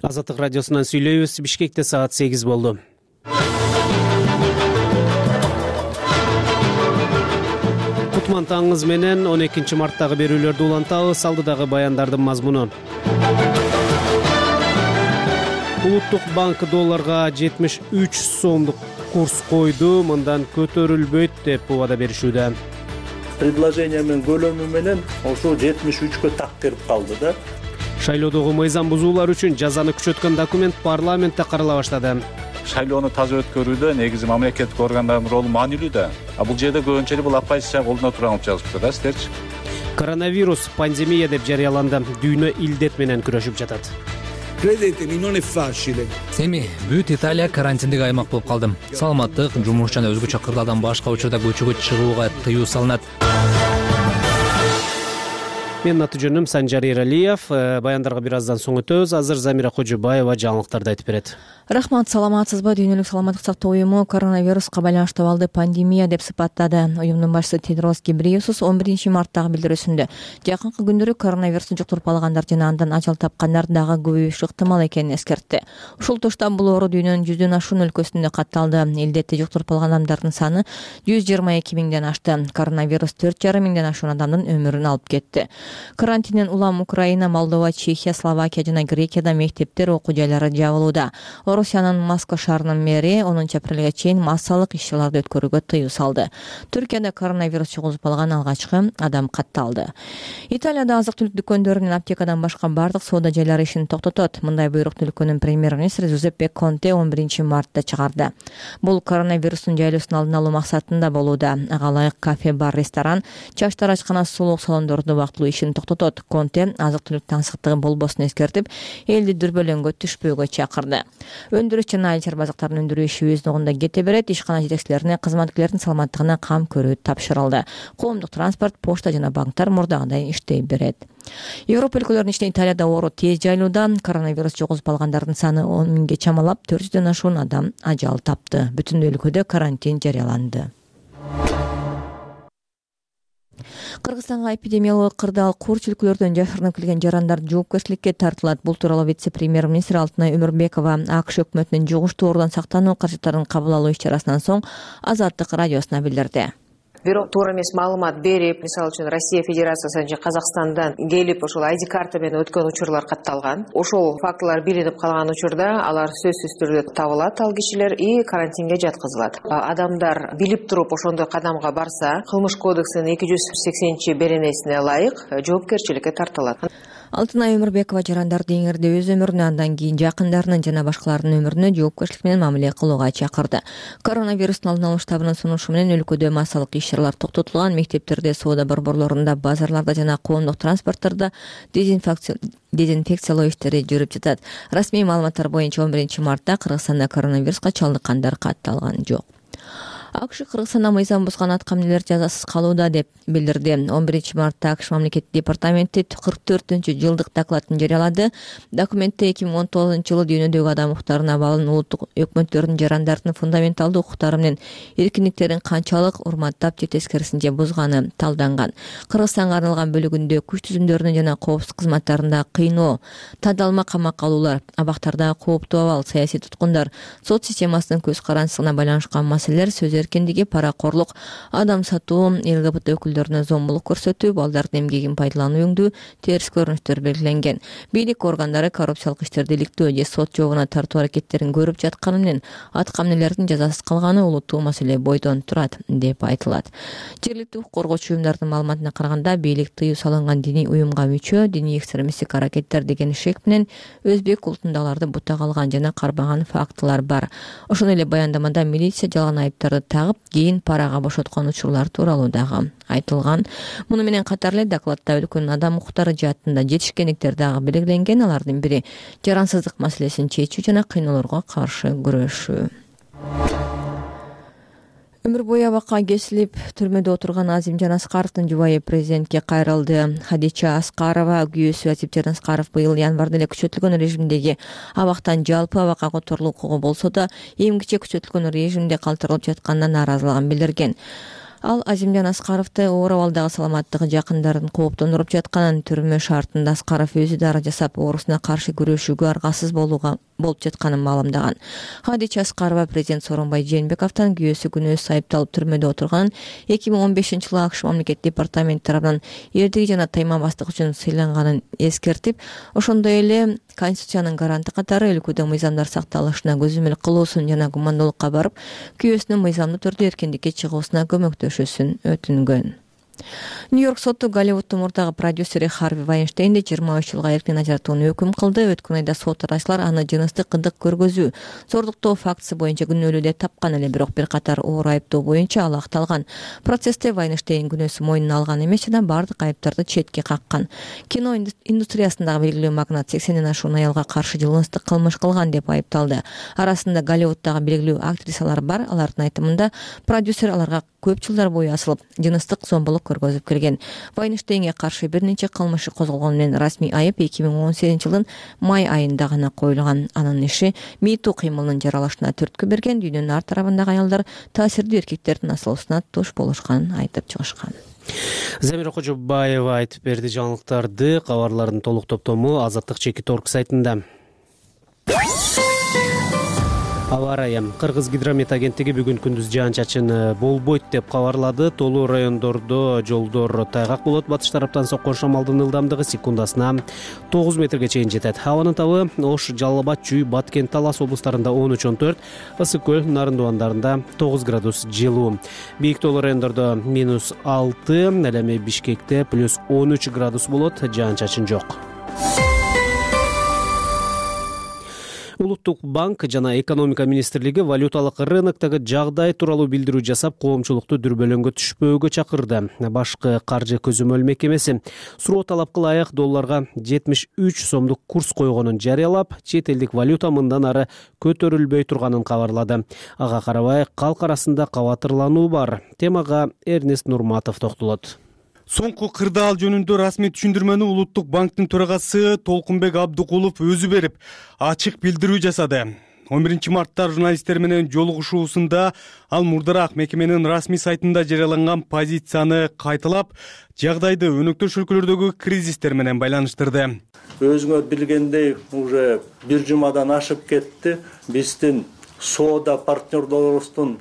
Азаттык радиосунан сүйлөйбүз. Бишкекте саат 8 болду. Кутман таңыңыз менен 12 марттагы берүүлөрдү улантабыз. Алдыдагы баяндардын мазмуну. Улуттук банк долларга 73 сомдук курс койду. Мындан көтөрүлбөйт деп убада беришүүдө. Предложение менен көлөмү менен ошо 73кө так кирип калды да. Шайлоодогу мыйзам бузуулар үчүн жазаны күчөткөн документ парламентте карала баштады. Шайлоону таза өткөрүүдө негизи мамлекеттик органдардын ролу маанилүү да. Бул жерде көбүнчө бул оппозиция колуна турган болуп жазыпты да сиздерчи. Коронавирус пандемия деп жарыяланды. Дүйнө илдет менен күрөшүп жатат. Credetemi, non è facile. Эми бүт Италия карантиндик аймак болуп калды. Саламаттык, жумуш жана өзгөчө кырдаалдан башка учурда көчөгө чыгууга тыюу салынат. Менин аты жөнүм Санжар Эралиев. Баяндарга бир аздан соң өтөбүз. Азыр Замира Кожубаева жаңылыктарды айтып берет. Рахмат, саламатсызбы? Дүйнөлүк саламаттык сактоо уюму коронавируска байланыштуу абалды пандемия деп сыпаттады. Уюмдун башчысы Тедрос Гебрейесус 11 марттагы билдирүүсүндө жакынкы күндөрү коронавирусту жуктуруп алгандар жана андан ажал тапкандар дагы көбөйүшү ыктымал экенин эскертти. Ушул тушта бул оору дүйнөнүн 100дөн ашуун өлкөсүндө катталды. Элдетте жуктуруп алган адамдардын саны 122 миңден ашты. Коронавирус 4,5 миңден ашуун адамдын өмүрүн алып кетти. Карантинден улам Украина, Молдова, Чехия, Словакия жана Грекияда мектептер, окуу жайлары жабылууда. Орусиянын Москва шаарынын мэри 10 апрелге чейин массалык иш-чараларды өткөрүүгө тыюу салды. Түркияда коронавирус чыгуулуп алган алгачкы адам катталды. Италияда азык-түлүк дүкөндөрү менен аптекадан башка бардык соода жайлары ишин токтотот. Мындай буйрукту өлкөнүн премьер-министри Жузеппе Конте 11 мартта чыгарды. Бул коронавирустун жайылуусун алдын алуу максатында болууда. Ага ылайык кафе, бар, ресторан, чачтар ачкана, сулук салондорду убактылуу ишин токтотот. Конте азык-түлүк таңсыктыгы болбосун эскертип, элди дүрбөлөңгө түшпөөгө чакырды. Өндүрүш жана айыл чарбазыктарын өндүрүү иши өз ногунда кете берет. Ишкана жетекчилерине кызматкерлердин саламаттыгына кам көрүү тапшырылды. Коомдук транспорт, почта жана банктар мурдагыдай иштей берет. Европа өлкөлөрүнүн ичинде Италияда оору тез жайылууда. Коронавирус жугузуп алгандардын саны 10 миңге чамалап, 400дөн ашуун адам ажал тапты. Бүтүн өлкөдө карантин жарыяланды. Кыргызстанга эпидемиологиялык кырдаал курчүлүклөрдөн жашырынып келген жарандар жоопкерчиликке тартылат. Бул тууралуу вице-премьер-министр Алтынай Өмүрбекова АКШ өкмөтүнүн жугуштуу оорудан сактануу каражаттарын кабыл алуу иш-чарасынан соң Азаттык радиосуна билдирди. Бирок туура эмес маалымат берип, мисалы үчүн Россия Федерациясынан же Казакстандан келип ошол ID карта менен өткөн учурлар катталган. Ошол фактылар билинип калган учурда алар сөзсүз түрдө табылат, ал кишилер и карантинге жаткызылат. Адамдар билип туруп ошондой кадамга барса, кылмыш кодексинин 280 беренесине ылайык жоопкерчиликке тартылат. Алтынай Өмүрбекова жарандарды эңирде өз өмүрүнө, андан кийин жакындарынын жана башкалардын өмүрүнө жоопкерчилик менен мамиле кылууга чакырды. Коронавирустун алдын алуу штабынын сунушу менен өлкөдө массалык иш-чаралар токтотулган. Мектептерде, соода борборлорунда, базарларда жана коомдук транспорттордо дезинфекциялоо иштери жүрүп жатат. Расмий маалыматтар боюнча 11 мартта Кыргызстанда коронавируска чалдыккандар катталган жок. АКШ Кыргызстанда мыйзам бузган аткаминерлер жазасыз калууда деп билдирди. 11 мартта АКШ мамлекеттик департаменти 44-жылдык докладын жарыялады. Документте 2019 жылы дүйнөдөгү адам укуктарына абалын улуттук өкмөттөрдүн жарандардын фундаменталдуу укуктары менен эркиндиктерин канчалык урматтап же тескерисинче бузганы талданган. Кыргызстанга арналган бөлүгүндө күч түзүмдөрүнүн жана коопсуздук кызматтарында кыйноо, тандалма камакка алуулар, абактарда кооптуу абал, саясий туткундар, сот системасынын көз карандысына байланышкан маселелер, сөз эркиндиги, паракорлук, адам сатуу, ЛГБТ өкүлдөрүнө зомбулук көрсөтүү, балдардын эмгегин пайдалануу өңдүү терс көрүнүштөр белгиленген. Бийлик органдары коррупциялык иштерди иликтөө же сот жообуна тартуу аракеттерин көрүп жатканы менен аткаминерлердин жазасыз калганы улуттуу маселе бойдон турат деп айтылат. Жергиликтүү укук коргоочу уюмдардын маалыматына караганда, бийлик тыюу салынган диний уюмга мүчө, диний экстремисттик аракеттер деген шек менен өзбек улутундагыларды бутага алган жана карбаган фактылар бар. Ошондой эле баяндамада милиция жалган айыптарды тагып, кийин парага бошоткон учурлар тууралуу дагы айтылган. Муну менен катар эле докладда өлкөнүн адам укуктары жаатында жетишкендиктер дагы белгиленген. Алардын бири жарансыздык маселесин чечүү жана кыйноолорго каршы күрөшүү. Өмүр бою абакка кесилип түрмөдө отурган Азимжан Аскаровдун жубайы президентке кайрылды. Хадича Аскарова күйөөсү Азимжан Аскаров быйыл январда эле күчөтүлгөн режимдеги абактан жалпы абакка которулуу укугу болсо да, эмгиче күчөтүлгөн режимде калтырылып жатканына нааразылыгын билдирген. Ал Азимжан Аскаровду оор абалдагы саламаттыгы жакындарын кооптондуруп жатканын, түрмө шартында Аскаров өзү дара жасап оорусуна каршы күрөшүүгө аргасыз болуп жатканын маалымдаган. Хадича Аскарова президент Сооронбай Жээнбековдон күйөөсү күнөөсүз айыпталып түрмөдө отурганын 2015-жылы АКШ мамлекет департаменти тарабынан эрдиги жана тайманбастык үчүн сыйланганын эскертип, ошондой эле Конституциянын гаранты катары өлкөдө мыйзамдар сакталышына көзөмөл кылуусун жана гумандуулукка барып, күйөөсүнүн мыйзамдуу түрдө эркиндикке чыгуусуна көмөктөшүүсүн өтүнгөн. Нью-Йорк соту Голливуддун мурдагы продюсери Харви Вайнштейнди 23 жылга эркин ажыратууну өкүм кылды. Өткөн айда сот ырайчылар аны жыныстык кыдык көргөзүү, зордуктоо фактысы боюнча күнөөлүү деп тапкан эле, бирок бир катар оор айыптоо боюнча ал акталган. Процессте Вайнштейн күнөөсүн мойнуна алган эмес жана бардык айыптарды четке каккан. Кино индустриясындагы белгилүү магнат 80ден ашуун аялга каршы жыныстык кылмыш кылган деп айыпталды. Арасында Голливуддагы белгилүү актрисалар бар. Алардын айтымында продюсер аларга көп жылдар бою асылып, жыныстык зомбулук көргөзүп келген. Вайнштейнге каршы бир нече кылмышы козголгону менен расмий айып 2018-жылдын май айында гана коюлган. Анын иши МeToo кыймылынын жаралышына түрткү берген. Дүйнөнүн ар тарабындагы аялдар таасирдүү эркектердин асылуусуна туш болушканын айтып чыгышкан. Замира Кожобаева айтып берди жаңылыктарды. Кабарлардын толук топтому Азаттык Чекиторг сайтында. Аба ырайы. Кыргыз гидромет агенттиги бүгүн күндүз жаан-чачын болбойт деп кабарлады. Толуу райондордо жолдор тайгак болот. Батыш тараптан соккон шамалдын ылдамдыгы секундасына 9 метрге чейин жетет. Абанын табы Ош, Жалал Абад, Чүй, Баткен, Талас облустарында 13-14, Ысык көл, Нарындыбандарында 9 градус жылуу. Бийик толуу райондордо -6, ал эми Бишкекте +13 градус болот. Жаан-чачын жок. Улуттук банк жана экономика министрлиги валюталык рыноктогу жагдай тууралуу билдирүү жасап, коомчулукту дүрбөлөңгө түшпөөгө чакырды. Башкы каржы көзөмөл мекемеси суроо талапка ылайык долларга 73 сомдук курс койгонун жарыялап, чет элдик валюта мындан ары көтөрүлбөй турганын кабарлады. Ага карабай, калк арасында кабатырлануу бар. Темага Эрнест Нурматов токтолот. Соңку кырдаал жөнүндө расмий түшүндүрмөнү Улуттук банктын төрагасы Толкунбек Абдыкулов өзү берип, ачык билдирүү жасады. 11 мартта журналисттер менен жолугушуусунда ал мурдараак мекеменин расмий сайтында жарыяланган позицияны кайталап, жагдайды өнөктөш өлкөлөрдөгү кризистер менен байланыштырды. Өзүңөр билгендей, уже бир жумадан ашып кетти. Биздин соода партнерлорубуздун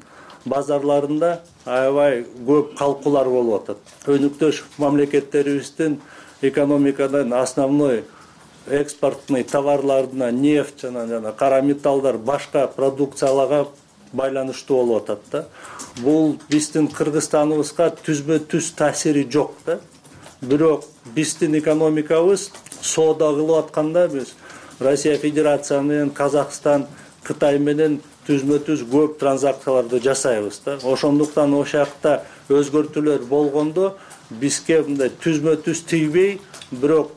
базарларында аябай көп калкуулар болуп атат. Өнөктөш мамлекеттерибиздин экономикадан основной экспортный товарларына нефть жана кара металлдар, башка продукцияларга байланыштуу болуп атат да. Бул биздин Кыргызстаныбызга түзбө-түз таасири жок да. Бирок биздин экономикабыз соода кылып атканда биз Россия Федерация менен Казакстан, Кытай менен түзмө-түз көп транзакцияларды жасайбыз да. Ошондуктан ошакта өзгөртүүлөр болгондо бизге мындай түзмө-түз тийбей, бирок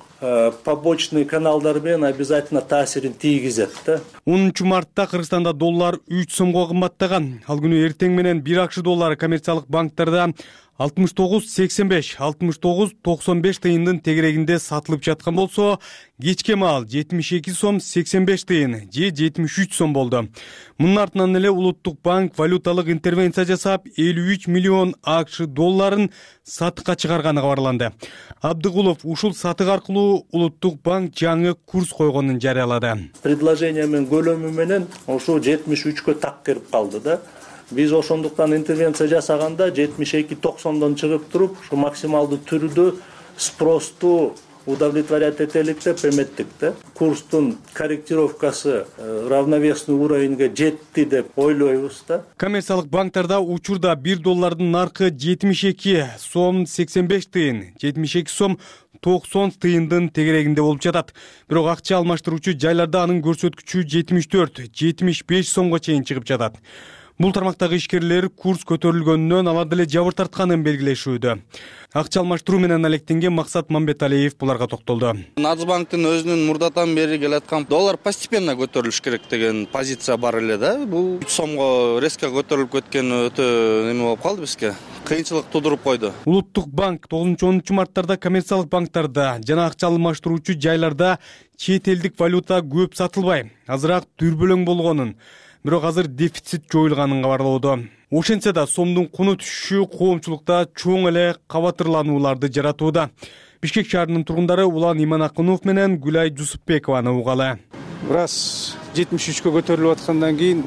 побочный каналдар менен обязательно таасирин тийгизет да. 10 мартта Кыргызстанда доллар 3 сомго кымбаттаган. Ал күнү эртең менен 1 акш доллары коммерциялык банктарда 69.85, 69.95 тыйындын тегерегинде сатылып жаткан болсо, кечке маал 72 сом 85 тыйын же 73 сом болду. Мунун артынан эле Улуттук банк валюталык интервенция жасап, 53 миллион акш долларын сатыкка чыгарганы кабарланды. Абдыкулов ушул сатык аркылуу Улуттук банк жаңы курс койгонун жарыялады. Предложение менен көлөмү менен ошо 73кө так кирип калды да. Биз ошондуктан интервенция жасаганда 72.90дон чыгып туруп, ушу максималдуу түрдө спросту удовлетворять этелик деп эметтик да. Курстун корректировкасы равновесный уровеньге жетти деп ойлойбуз да. Коммерциялык банктарда учурда 1 доллардын наркы 72 сом 85 тыйын, 72 сом 90 тыйындын тегерегинде болуп жатат. Бирок акча алмаштыруучу жайларда анын көрсөткүчү 74-75 сомго чейин чыгып жатат. Бул тармактагы ишкерлер курс көтөрүлгөнүнөн алар деле жабыр тартканын белгилешүүдө. Акча алмаштыруу менен алектенген Максат Мамбеталиев буларга токтолду. Нацбанктын өзүнүн мурдатан бери келаткан доллар постепенно көтөрүлүш керек деген позиция бар эле да. Бул 3 сомго резко көтөрүлүп кеткен өтө неме болуп калды бизге. Кыйынчылык тудуруп койду. Улуттук банк 9-10 марттарда коммерциялык банктарда жана акча алмаштыруучу жайларда чет элдик валюта көп сатылбай, азыраак дүрбөлөң болгонун, бирок азыр дефицит жоюлганын кабарлоодо. Ошентсе да сомдун куну түшүшү коомчулукта чоң эле кабатырланууларды жаратууда. Бишкек шаарынын тургундары Улан Иманакунов менен Гүлай Жусупбекованы угалы. Раз 73-кө көтөрүлүп аткандан кийин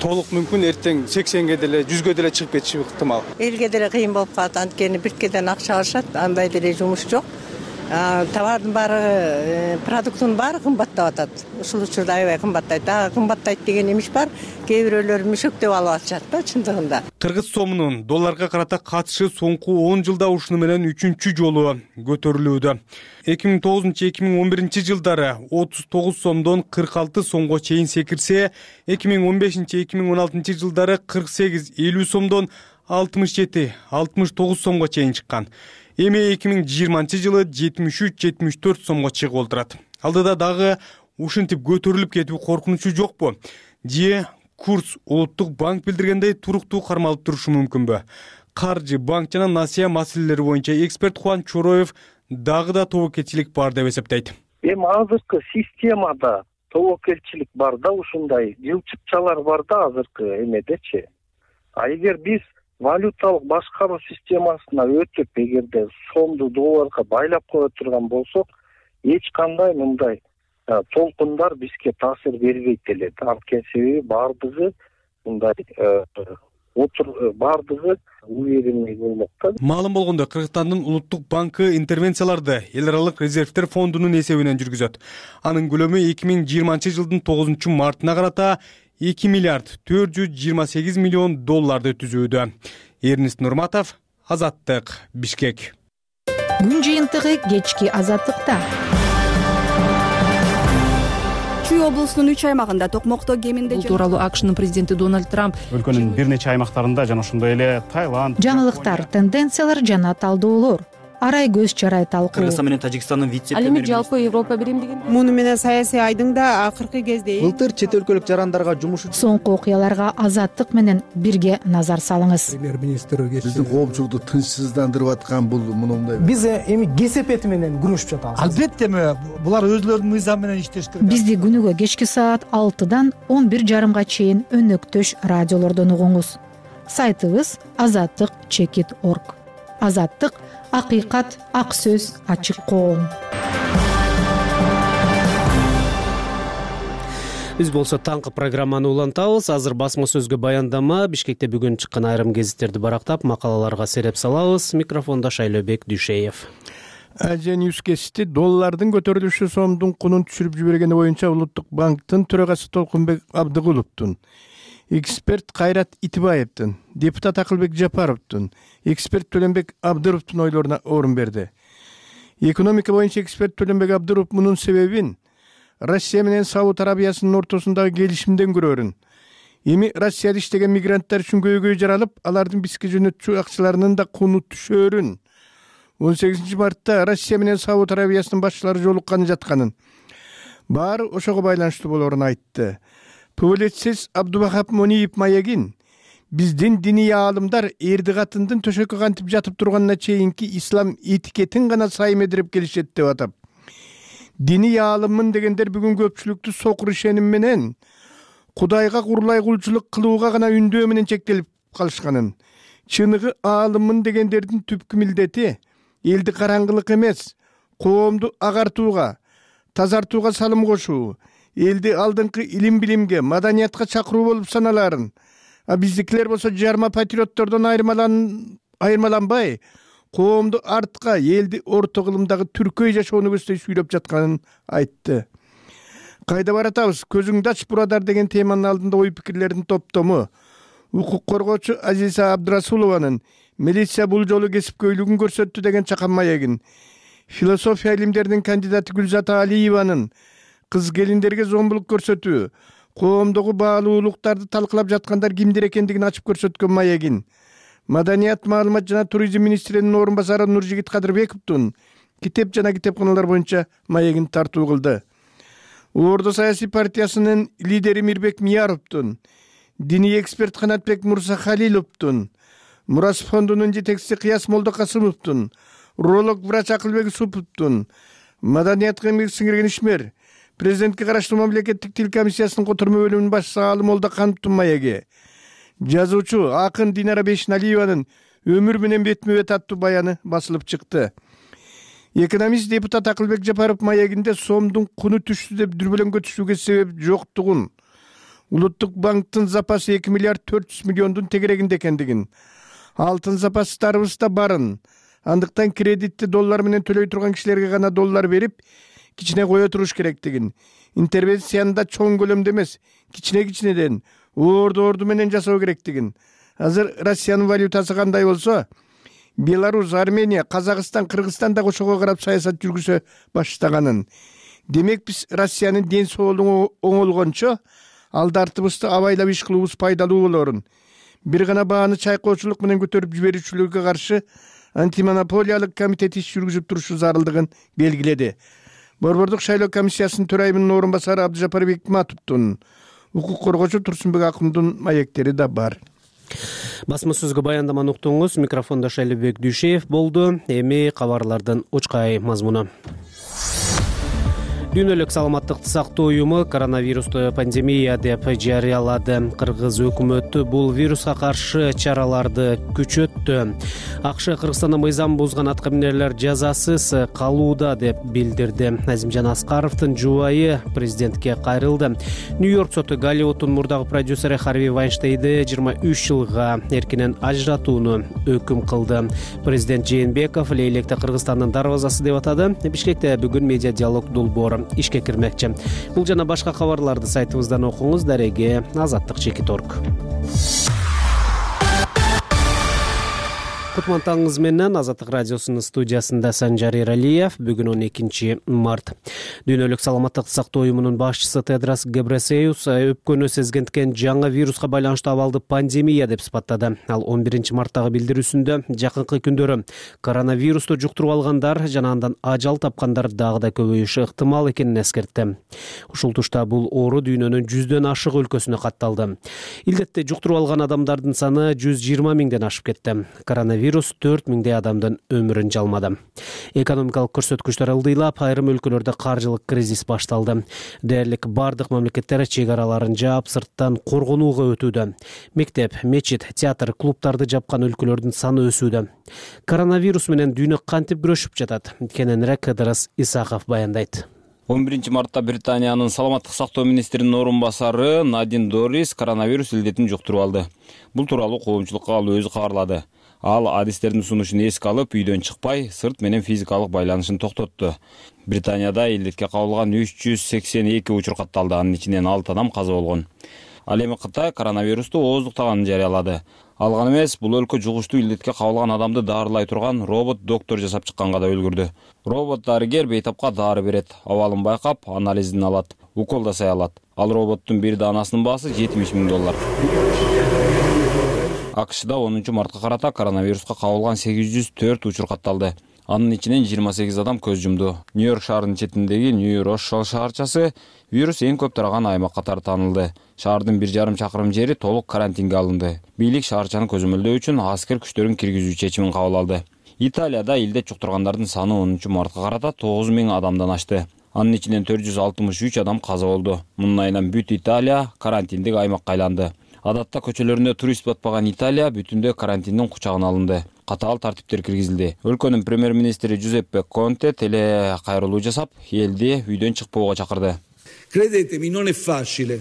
толук мүмкүн эртең 80ге деле 100ге деле чыгып кетиши ыктымал. Элге деле кыйын болуп калат, анткени бирткеден акча алышат, андай деле жумуш жок. Товардын баары, продукттун баары кымбаттап атат. Ушул учурда аябай кымбаттайт. Дагы кымбаттайт деген эмиш бар. Кээ бирөөлөр мүшөктөп алып атышат да чындыгында. Кыргыз сомунун долларга карата катышы соңку 10 жылда ушуну менен 3-чү жолу көтөрүлүүдө. 2009-2011 жылдары 39 сомдон 46 сомго чейин секирсе, 2015-2016 жылдары 48-50 сомдон 67-69 сомго чейин чыккан. Эми 2020 жылы 73-74 сомго чыгып олтурат. Алдыда дагы ушинтип көтөрүлүп кетүү коркунучу жокпу? Же курс улуттук банк билдиргендей туруктуу кармалып турушу мүмкүнбү? Каржы, банк жана насыя маселелери боюнча эксперт Хуан Чороев дагы да тобокелчилик бар деп эсептейт. Эми азыркы системада тобокелчилик бар да, ушундай жылчыкчалар бар да азыркы эмедечи. А эгер биз валюталык башкаруу системасына өтүп, эгерде сомду долларга байлап кое турган болсок, эч кандай мындай толкундар бизге таасир бербейт эле. Анткени себеби баардыгы мындай баардыгы уверенный болмок да. Маалым болгондой, Кыргызстандын улуттук банкы интервенцияларды эл аралык резервдер фондунун эсебинен жүргүзөт. Анын көлөмү 2020 жылдын 9 мартына карата 2 миллиард 428 миллион долларды түзүүдө. Эрнист Нурматов, Азаттык, Бишкек. Күн жыйынтыгы кечки Азаттыкта. Чүй облусунун 3 аймагында токмокто кеминде Бул тууралуу АКШнын президенти Дональд Трамп өлкөнүн бир нече аймактарында жана ошондой эле Таиланд, жаңылыктар, тенденциялар жана талдоолор, арай көз чарай талкуу. Кыргызстан менен Тажикстандын вице-премьери. Ал эми жалпы Европа Биримдигин муну менен саясий айдың да акыркы кезде Былтыр чет өлкөлүк жарандарга жумуш үчүн соңку окуяларга Азаттык менен бирге назар салыңыз. Премьер-министр биздин коомчулукту тынчсыздандырып аткан бул мындай. Биз эми кесепети менен күрөшүп жатабыз. Албетте булар өзлөрүнүн мыйзамы менен иштеш керек. Бизди күнүгө кечки саат 6-дан 11:30 чейин өнөктөш радиолордон угуңуз. Сайтыбыз azattik.org. Азаттык — акыйкат, ак сөз, ачык коом. Биз болсо таңкы программаны улантабыз. Азыр басма сөзгө баяндама, Бишкекте бүгүн чыккан айрым гезиттерди барактап, макалаларга сереп салабыз. Микрофондо Шайлообек Дүйшеев. Азия Ньюс кесити доллардын көтөрүлүшү сомдун кунун түшүрүп жибергени боюнча Улуттук банктын төрагасы Толкунбек Абдыгуловдун, эксперт Кайрат Итибаевдин, депутат Акылбек Жапаровдун, эксперт Төлөнбек Абдыровдун ойлоруна орун берди. Экономика боюнча эксперт Төлөнбек Абдыров мунун себебин Россия менен Сауд Арабиясынын ортосундагы келишимден көрөрүн. Эми Россияда иштеген мигранттар үчүн көйгөй жаралып, алардын бизге жөнөтчү акчаларынын да куну түшөрүн. 18 мартта Россия менен Сауд Арабиясынын башчылары жолукканы жатканын, баары ошого байланыштуу болорун айтты. Публицист Абдубахап Мониев маягин биздин диний аалымдар эрди катындын төшөккө кантип жатып турганына чейинки ислам этикетин гана саймедирип келишет деп атап. Диний аалыммын дегендер бүгүн көпчүлүктү сокур ишеним менен Кудайга курлай кулчулук кылууга гана үндөө менен чектелип калышканын. Чыныгы аалыммын дегендердин түпкү милдети элди караңгылык эмес, коомду агартууга, тазартууга салым кошуу, элди алдыңкы илим билимге, маданиятка чакыруу болуп саналарын. Биздикилер болсо жарма патриоттордон айырмаланбай, коомду артка, элди орто кылымдагы түркөй жашоону көздөй сүйлөп жатканын айтты. Кайда баратабыз? Көзүңдү ач бурадар деген теманын алдында ой пикирлердин топтому укук коргоочу Азиза Абдрасулованын милиция бул жолу кесипкөйлүгүн көрсөттү деген чакан маягин, философия илимдеринин кандидаты Гүлзата Алиеванын кыз келиндерге зомбулук көрсөтүү, коомдогу баалуулуктарды талкылап жаткандар кимдер экендигин ачып көрсөткөн маягин, Маданият, маалымат жана туризм министринин орун басары Нуржигит Кадырбековдун китеп жана китепканалар боюнча маягин тартуу кылды. Ордо саясий партиясынын лидери Мирбек Мияровдун, диний эксперт Канатбек Мурзахалиловдун, Мурас фондунун жетекчиси Кыяс Молдокасымовдун, уролог врач Акылбек Юсуповдун, маданиятка эмгек сиңирген ишмер, президентке караштуу мамлекеттик тил комиссиясынын котормо бөлүмүнүн башчысы Алым Молдокановдун маяги, Жазуучу акын Динара Бешналиеванын өмүр менен бетме бет аттуу баяны басылып чыкты. Экономист депутат Акылбек Жапаров маегинде сомдун куну түштү деп дүрбөлөңгө түшүүгө себеп жоктугун, Улуттук банктын запасы 2 миллиард 400 миллиондун тегерегинде экендигин, алтын запастарыбызда барын, андыктан кредитти доллар менен төлөй турган кишилерге гана доллар берип, кичине кое туруш керектигин, интервенцияны да чоң көлөмдө эмес, кичинеден орду менен жасоо керектигин. Азыр Россиянын валютасы кандай болсо, Беларусь, Армения, Казакстан, Кыргызстан да ошого карап саясат жүргүзө баштаганын. Демек биз Россиянын ден соолугу оңолгончо алдартыбызды абайлап иш кылуубуз пайдалуу болорун. Бир гана бааны чайкоочулук менен көтөрүп жиберүүчүлөргө каршы антимонополиялык комитет иш жүргүзүп турушу зарылдыгын белгиледи. Борбордук шайлоо комиссиясынын төрайымынын орун басары Абдыжапар Бекматовдун, укук коргоочу Турсунбек Акымдын маектери да бар. Басма сөзгө баяндаманы уктуңуз. Микрофондо Шайлыбек Дүйшеев болду. Эми кабарлардын учкай мазмуну. Дүйнөлүк саламаттыкты сактоо уюму коронавирусту пандемия деп жарыялады. Кыргыз өкмөтү бул вируска каршы чараларды күчөттү. АКШ Кыргызстанда мыйзам бузган аткаминерлер жазасыз калууда деп билдирди. Азимжан Аскаровдун жубайы президентке кайрылды. Нью-Йорк соту Голливуддун мурдагы продюсери Харви Вайнштейнди 23 жылга эркинен ажыратууну өкүм кылды. Президент Жээнбеков Лейлекте Кыргызстандын дарбазасы деп атады. Бишкекте бүгүн медиа диалог долбоору ишке кирмекчи. Бул жана башка кабарларды сайтыбыздан окуңуз. Дареги Азаттык.org. Кутмантаңыз менен Азаттык радиосунун студиясында Санжар Эралиев. Бүгүн 12 март. Дүйнөлүк саламаттыкты сактоо уюмунун башчысы Тедрос Гебресеюс өпкөнү сезгенткен жаңы вируска байланыштуу абалды пандемия деп сыпаттады. Ал 11 марттагы билдирүүсүндө жакынкы күндөрү коронавирусту жуктуруп алгандар жана андан ажал тапкандар дагы да көбөйүшү ыктымал экенин эскертти. Ушул тушта бул оору дүйнөнүн 100дөн ашык өлкөсүнө катталды. Илдетти жуктуруп алган адамдардын саны 120 миңден ашып кетти. Коронавирус 4 миңдей адамдын өмүрүн жалмады. Экономикалык көрсөткүчтөр ылдыйлап, айрым өлкөлөрдө каржылык кризис башталды. Дээрлик бардык мамлекеттер чек араларын жаап, сырттан коргонууга өтүүдө. Мектеп, мечит, театр, клубдарды жапкан өлкөлөрдүн саны өсүүдө. Коронавирус менен дүйнө кантип күрөшүп жатат? Кененирээк Ыдырыс Исаков баяндайт. 11 мартта Британиянын саламаттык сактоо министринин орун басары Надин Дорис коронавирус илдетин жуктуруп алды. Бул тууралуу коомчулукка ал өзү кабарлады. Ал адистердин сунушун эске алып, үйдөн чыкпай, сырт менен физикалык байланышын токтотту. Британияда илдетке кабылган 382 учур катталды, анын ичинен 6 адам каза болгон. Ал эми Кытай коронавирусту ооздуктаганын жарыялады. Ал гана эмес, бул өлкө жугуштуу илдетке кабылган адамды даарылай турган робот доктор жасап чыкканга да үлгүрдү. Робот дарыгер бейтапка дары берет, абалын байкап, анализин алат, укол жасай алат. Ал роботтун бир даанасынын баасы $70 000. АКШда 10 мартка карата коронавируска кабылган 804 учур катталды. Анын ичинен 28 адам көз жумду. Нью-Йорк шаарынын четиндеги Нью-Рошалл шаарчасы вирус эң көп тараган аймак катары таанылды. Шаардын 1,5 чакырым жери толук карантинге алынды. Бийлик шаарчаны көзөмөлдөө үчүн аскер күчтөрүн киргизүү чечимин кабыл алды. Италияда илдет жуктургандардын саны 10 мартка карата 9 000 адамдан ашты. Анын ичинен 463 адам каза болду. Мунун айынан бүт Италия карантиндик аймакка айланды. Адатта көчөлөрүндө турист батпаган Италия бүтүндөй карантиндин кучагына алынды. Катаал тартиптер киргизилди. Өлкөнүн премьер-министри Джузеппе Конте теле кайрылуу жасап, элди үйдөн чыкпоого чакырды. Credetemi, non è facile.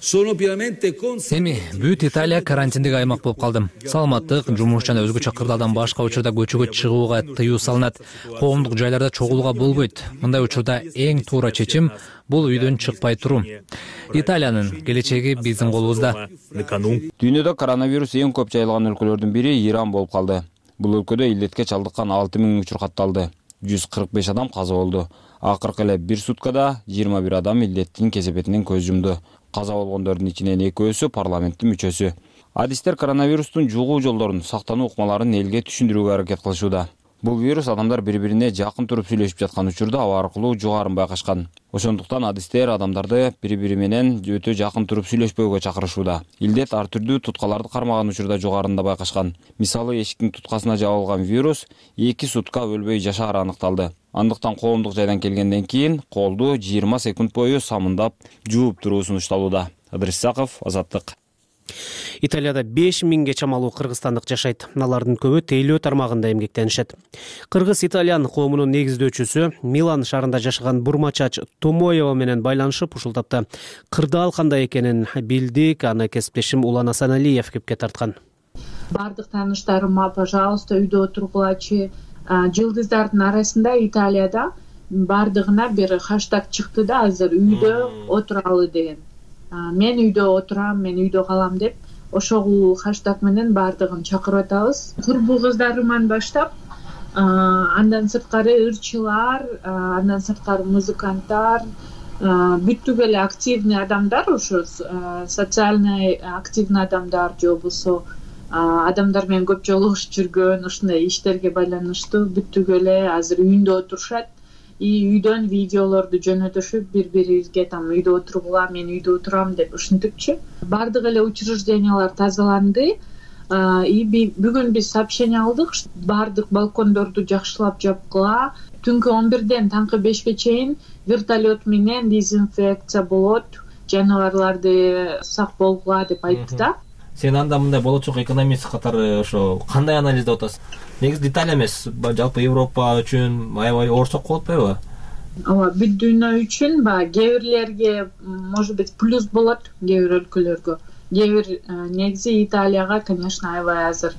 Эми бүт Италия карантиндик аймак болуп калды. Саламаттык, жумуш жана өзгөчө кырдаалдан башка учурда көчөгө чыгууга тыюу салынат. Коомдук жайларда чогулууга болбойт. Мындай учурда эң туура чечим бул үйдөн чыкпай туруу. Италиянын келечеги биздин колубузда. Дүйнөдө коронавирус эң көп жайылган өлкөлөрдүн бири Иран болуп калды. Бул өлкөдө илдетке чалдыккан 6 000 учур катталды. 145 адам каза болду. Акыркы эле бир суткада 21 адам илдеттин кесепетинен көз жумду. Каза болгондордун ичинен экөөсү парламенттин мүчөсү. Адистер коронавирустун жугуу жолдорун, сактануу ыкмаларын элге түшүндүрүүгө аракет кылышууда. Бул вирус адамдар бири-бирине жакын туруп сүйлөшүп жаткан учурда аба аркылуу жугаарын байкашкан. Ошондуктан адистер адамдарды бири-бири менен өтө жакын туруп сүйлөшпөөгө чакырышууда. Илдет ар түрдүү туткаларды кармаган учурда жугарында байкашкан. Мисалы, эшиктин туткасына жабылган вирус 2 сутка өлбөй жашаары аныкталды. Андыктан коомдук жайдан келгенден кийин колду 20 секунд бою самындап жууп туруу сунушталууда. Ыдырыс Исаков, Азаттык. Италияда 5000ге чамалуу кыргызстандык жашайт. Алардын көбү тейлөө тармагында эмгектенишет. Кыргыз-итальян коомунун негиздөөчүсү Милан шаарында жашаган бурмачач Томоева менен байланышып, ушул тапта кырдаал кандай экенин билдик. Аны кесиптешим Улан Асаналиев кепке тарткан. Бардык тааныштарыма, пожалуйста, үйдө отургулачы. Жылдыздардын арасында Италияда бардыгына бир хаштаг чыкты да, азыр үйдө отуралы деген. Мен үйдө отурам, мен үйдө калам деп, ошол хаштаг менен бардыгын чакырып атабыз. Курбу кыздарыман баштап, андан сырткары ырчылар, андан сырткары музыканттар, бүттүк эле активный адамдар, ошо социальный активный адамдар же болбосо адамдар менен көп жолугушуп жүргөн, ушундай иштерге байланыштуу бүттүк эле азыр үйүндө отурушат. Үйдөн видеолорду жөнөтүшүп, бири-бирибизге там үйдө отургула, мен үйдө отурам деп ушинтипчи. Бардык эле учреждениялар тазаланды. Бүгүн биз сообщение алдык, бардык балкондорду жакшылап жапкыла. Түнкү 11ден таңкы 5ке чейин вертолет менен дезинфекция болот, жаныбарларды сак болгула деп айтты да. Сен анда мындай болочок экономист катары ошо кандай анализдеп атасың? Негизи Италия эмес, жалпы Европа үчүн аябай оорсок болуп атпайбы? Ооба, бүт дүйнө үчүн кээ бирлерге может быть плюс болот, кээ бир өлкөлөргө. Кээ бир негизи Италияга, конечно, аябай азыр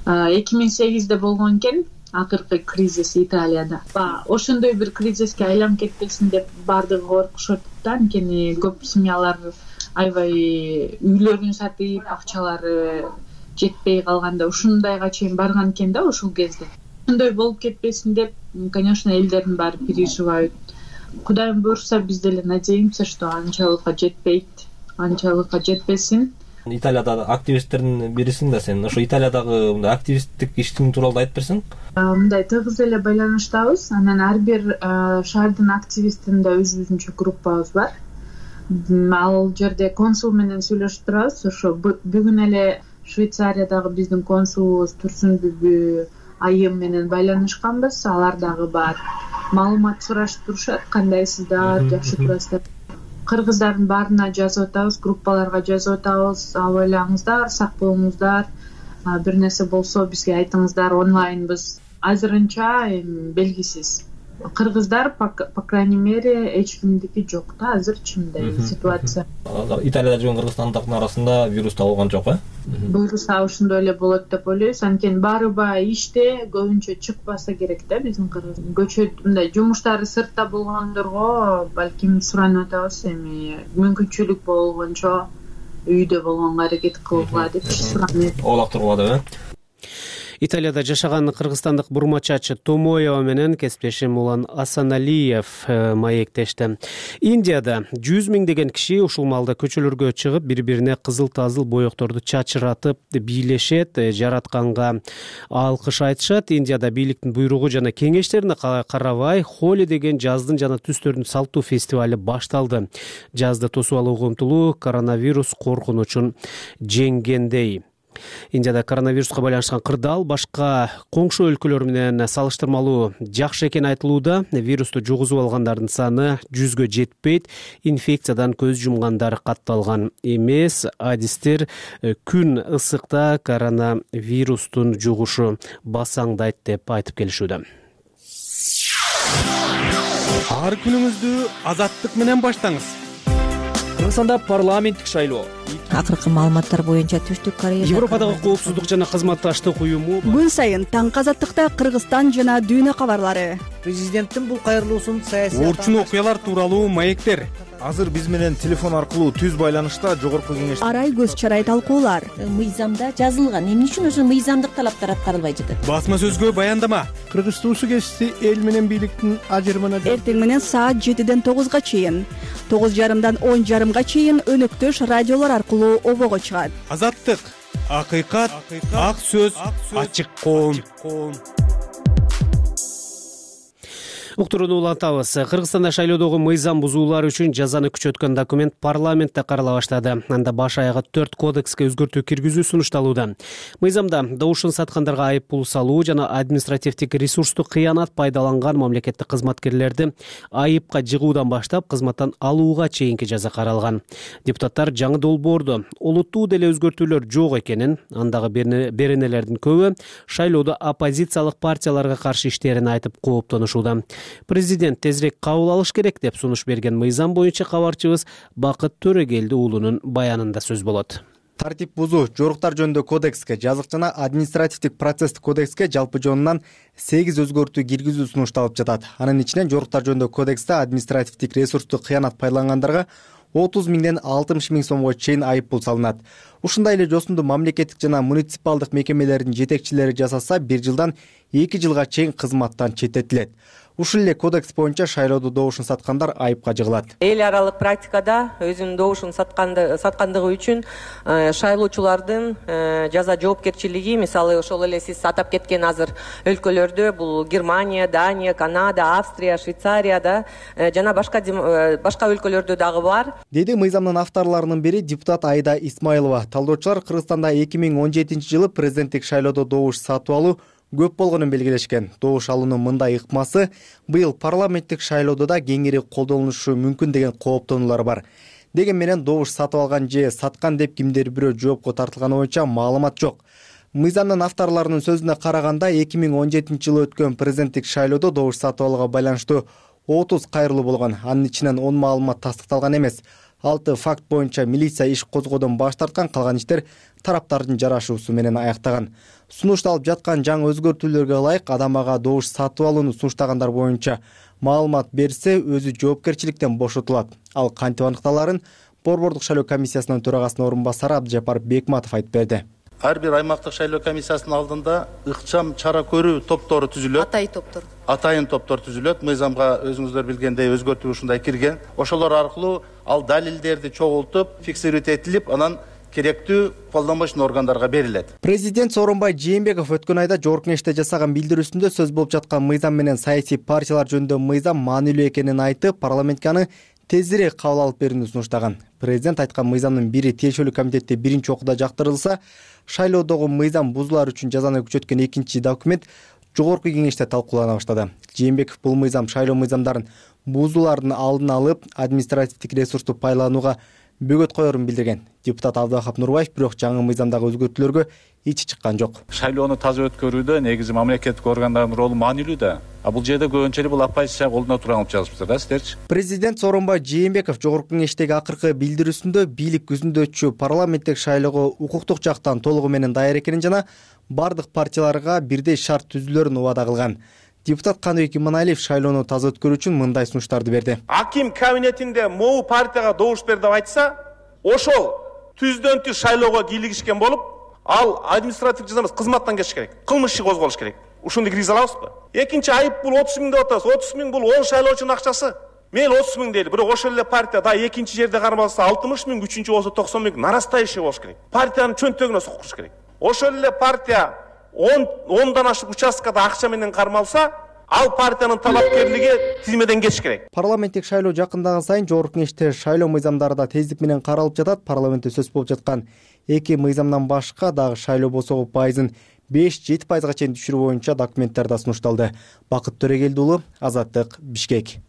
2008-де болгон экен акыркы кризис Италияда. Ошондой бир кризиске айланып кетпесин деп бардыгы коркушат да, анткени көп семьялар аябай үйлөрүн сатып, акчалары жетпей калганда ушундайга чейин барган экен да ушул кезде. Ушундай болуп кетпесин деп, конечно, элдердин баары переживают. Кудайым буйрса, биз деле надеемся, что анчалыкка жетпейт, анчалыкка жетпесин. Италияда активисттердин бирисиң да сен. Ошо Италиядагы мындай активисттик иштин тууралуу айтып берсең? Мындай тыгыз эле байланыштабыз. Анан ар бир шаардын активистинде өзүбүзүнчө группабыз бар. Ал жерде консул менен сүйлөшүп турабыз. Ошо бүгүн эле Швейцариядагы биздин консулубуз Турсунбүбү айым менен байланышканбыз. Алар дагы бар маалымат сурашып турушат, кандайсыздар, жакшы турасыздар. Кыргыздардын баарына жазып атабыз, группаларга жазып атабыз. Абайлаңыздар, сак болуңуздар. Бир нерсе болсо бизге айтыңыздар, онлайнбыз. Азырынча белгисиз. Кыргыздар, по крайней мере, эч кимдики жок да азырчы мындай ситуация. Италияда жүргөн кыргызстандыктын арасында вирус табылган жок, Буйруса ошондой эле болот деп ойлойбуз. Анткени баары иште, көбүнчө чыкпаса керек да биздин кыргыз. Көчөт мындай жумуштары сыртта болгондорго балким суранып атабыз, эми мүмкүнчүлүк болгончо үйдө болгонго аракет кылгыла деп суранып. Олактыргыла деп, Италияда жашаган кыргызстандык бурмачачы Томоева менен кесиптешим Улан Асаналиев маектешти. Индияда 100 миңдеген киши ушул маалда көчөлөргө чыгып, бири-бирине кызыл-тазыл боекторду чачыратып бийлешет, жаратканга алкыш айтышат. Индияда бийликтин буйругу жана кеңештерине карабай, Холи деген жаздын жана түстөрдүн салттуу фестивали башталды. Жазды тосуп алууга умтулуу коронавирус коркунучун жеңгендей. Индияда коронавируска байланышкан кырдаал башка коңшу өлкөлөр менен салыштырмалуу жакшы экени айтылууда. Вирусту жугузуп алгандардын саны 100гө жетпейт. Инфекциядан көз жумгандар катталган эмес. Адистер күн ысыкта коронавирустун жугушу басаңдайт деп айтып келишүүдө. Ар күнүңүздү азаттык менен баштаңыз. Кыргызстанда парламенттик шайлоо. Акыркы маалыматтар боюнча Түштүк Корея Европадагы коопсуздук жана кызматташтык уюму күн сайын таңкы азаттыкта Кыргызстан жана дүйнө кабарлары. Президенттин бул кайрылуусун саясий орчун окуялар тууралуу маектер. Азыр биз менен телефон аркылуу түз байланышта жогорку кеңеш арай көз чарай талкуулар. Мыйзамда жазылган, эмне үчүн ошо мыйзамдык талаптар аткарылбай жатат? Басма сөзгө баяндама. Кыргыз туусу кести эл менен бийликтин ажырымына эртең менен саат 7ден 9га чейин, 9:30дан 10:30га чейин өнөктөш радиолор аркылуу обого чыгат. Азаттык, акыйкат, ак сөз, ачык коом. Уктурууну улантабыз. Кыргызстанда шайлоодогу мыйзам бузуулар үчүн жазаны күчөткөн документ парламентте карала баштады. Анда баш аягы 4 кодекске өзгөртүү киргизүү сунушталууда. Мыйзамда добушун саткандарга айып пул салуу жана административдик ресурсту кыянат пайдаланган мамлекеттик кызматкерлерди айыпка жыгуудан баштап кызматтан алууга чейинки жаза каралган. Депутаттар жаңы долбоордо олуттуу деле өзгөртүүлөр жок экенин, андагы беренелердин көбү шайлоодо оппозициялык партияларга каршы иштерин айтып кооптонушууда. Президент тезирээк кабыл алыш керек деп сунуш берген мыйзам боюнча кабарчыбыз Бакыт Төрөгелди уулунун баянында сөз болот. Тартип бузуу жоруктар жөнүндө кодекске, жазык жана административдик процесстик кодекске жалпы жонунан 8 өзгөртүү киргизүү сунушталып жатат. Анын ичинен жоруктар жөнүндө кодексте административдик ресурсту кыянат пайдалангандарга 30 миңден 60 миң сомго чейин айып пул салынат. Ушундай эле жосунду мамлекеттик жана муниципалдык мекемелердин жетекчилери жасаса 1 жылдан 2 жылга чейин кызматтан четтетилет. Ушул эле кодекс боюнча шайлоодо добушун саткандар айыпка жыгылат. Эл аралык практикада өзүнүн добушун саткандыгы үчүн шайлоочулардын жаза жоопкерчилиги, мисалы ошол эле сиз атап кеткен азыр өлкөлөрдө, бул Германия, Дания, Канада, Австрия, Швейцарияда жана башка өлкөлөрдө дагы бар. Деди мыйзамдын авторлорунун бири депутат Айда Исмайлова. Талдоочулар Кыргызстанда 2017 жылы президенттик шайлоодо добуш сатып алуу көп болгонун белгилешкен. Добуш алуунун мындай ыкмасы быйыл парламенттик шайлоодо да кеңири колдонулушу мүмкүн деген кооптонуулар бар. Деген менен добуш сатып алган же саткан деп кимдир бирөө жоопко тартылганы боюнча маалымат жок. Мыйзамдын авторлорунун сөзүнө караганда 2017 жылы өткөн президенттик шайлоодо добуш сатып алууга байланыштуу 30 кайрылуу болгон. Анын ичинен 10 маалымат тастыкталган эмес. 6 факт боюнча милиция иш козгоодон баш тарткан, калган иштер тараптардын жарашуусу менен аяктаган. Сунушталып жаткан жаңы өзгөртүүлөргө ылайык адам ага добуш сатып алууну сунуштагандар боюнча маалымат берсе, өзү жоопкерчиликтен бошотулат. Ал кантип аныкталарын Борбордук шайлоо комиссиясынын төрагасынын орун басары Абдыжапар Бекматов айтып берди. Ар бир аймактык шайлоо комиссиясынын алдында ыкчам чара көрүү топтору түзүлөт. Атайын топтор түзүлөт. Мыйзамга өзүңүздөр билгендей өзгөртүү ушундай кирген. Ошолор аркылуу ал далилдерди чогултуп, фиксировать этилип, анан керектүү колдонбоочу органдарга берилет. Президент Сооронбай Жээнбеков өткөн айда жогорку кеңеште жасаган билдирүүсүндө сөз болуп жаткан мыйзам менен саясий партиялар жөнүндө мыйзам маанилүү экенин айтып, парламентке аны тезирээк кабыл алып берүүнү сунуштаган. Президент айткан мыйзамдын бири тиешелүү комитетте биринчи окууда жактырылса, шайлоодогу мыйзам бузуулар үчүн жазаны күчөткөн экинчи документ жогорку кеңеште талкуулана баштады. Жээнбеков бул мыйзам шайлоо мыйзамдарын бузуулардын алдын алып, административдик ресурсту пайдаланууга бөгөт коерун билдирген. Депутат Абдывахап Нурбаев бирок жаңы мыйзамдагы өзгөртүүлөргө ичи чыккан жок. Шайлоону таза өткөрүүдө негизи мамлекеттик органдардын ролу маанилүү да. Бул жерде көбүнчө эле бул оппозиция колуна турган алып жазыпсыздар да сиздерчи. Президент Сооронбай Жээнбеков жогорку кеңештеги акыркы билдирүүсүндө бийлик күзүндөчү парламенттик шайлоого укуктук жактан толугу менен даяр экенин жана бардык партияларга бирдей шарт түзүүлөрүн убада кылган. Депутат Каныбек Иманалиев шайлоону таза өткөрүү үчүн мындай сунуштарды берди. Аким кабинетинде могу партияга добуш бер деп айтса, ошол түздөн түз шайлоого кийлигишкен болуп, ал административдик жаза эмес, кызматтан кетиш керек. Кылмыш иши козголуш керек. Ушуну киргизе алабызбы? Экинчи айып бул 30 миң деп атабыз. 30 миң бул 10 шайлоочунун акчасы. Мейли 30 миң дейли, бирок ошол эле партия да экинчи жерде кармалса 60 миң, үчүнчү болсо 90 миң нарастающий болуш керек. Партиянын чөнтөгүнө сокуш керек. Ошол эле партия 10дан ашык участкада акча менен кармалса, ал партиянын талапкерлиги тизмеден кетиш керек. Парламенттик шайлоо жакындаган сайын жогорку кеңеште шайлоо мыйзамдары да тездик менен каралып жатат. Парламентте сөз болуп жаткан эки мыйзамдан башка дагы шайлоо босогу пайызын 5-7% чейин түшүрүү боюнча документтер да сунушталды. Бакыт Төрөгелди уулу, Азаттык, Бишкек.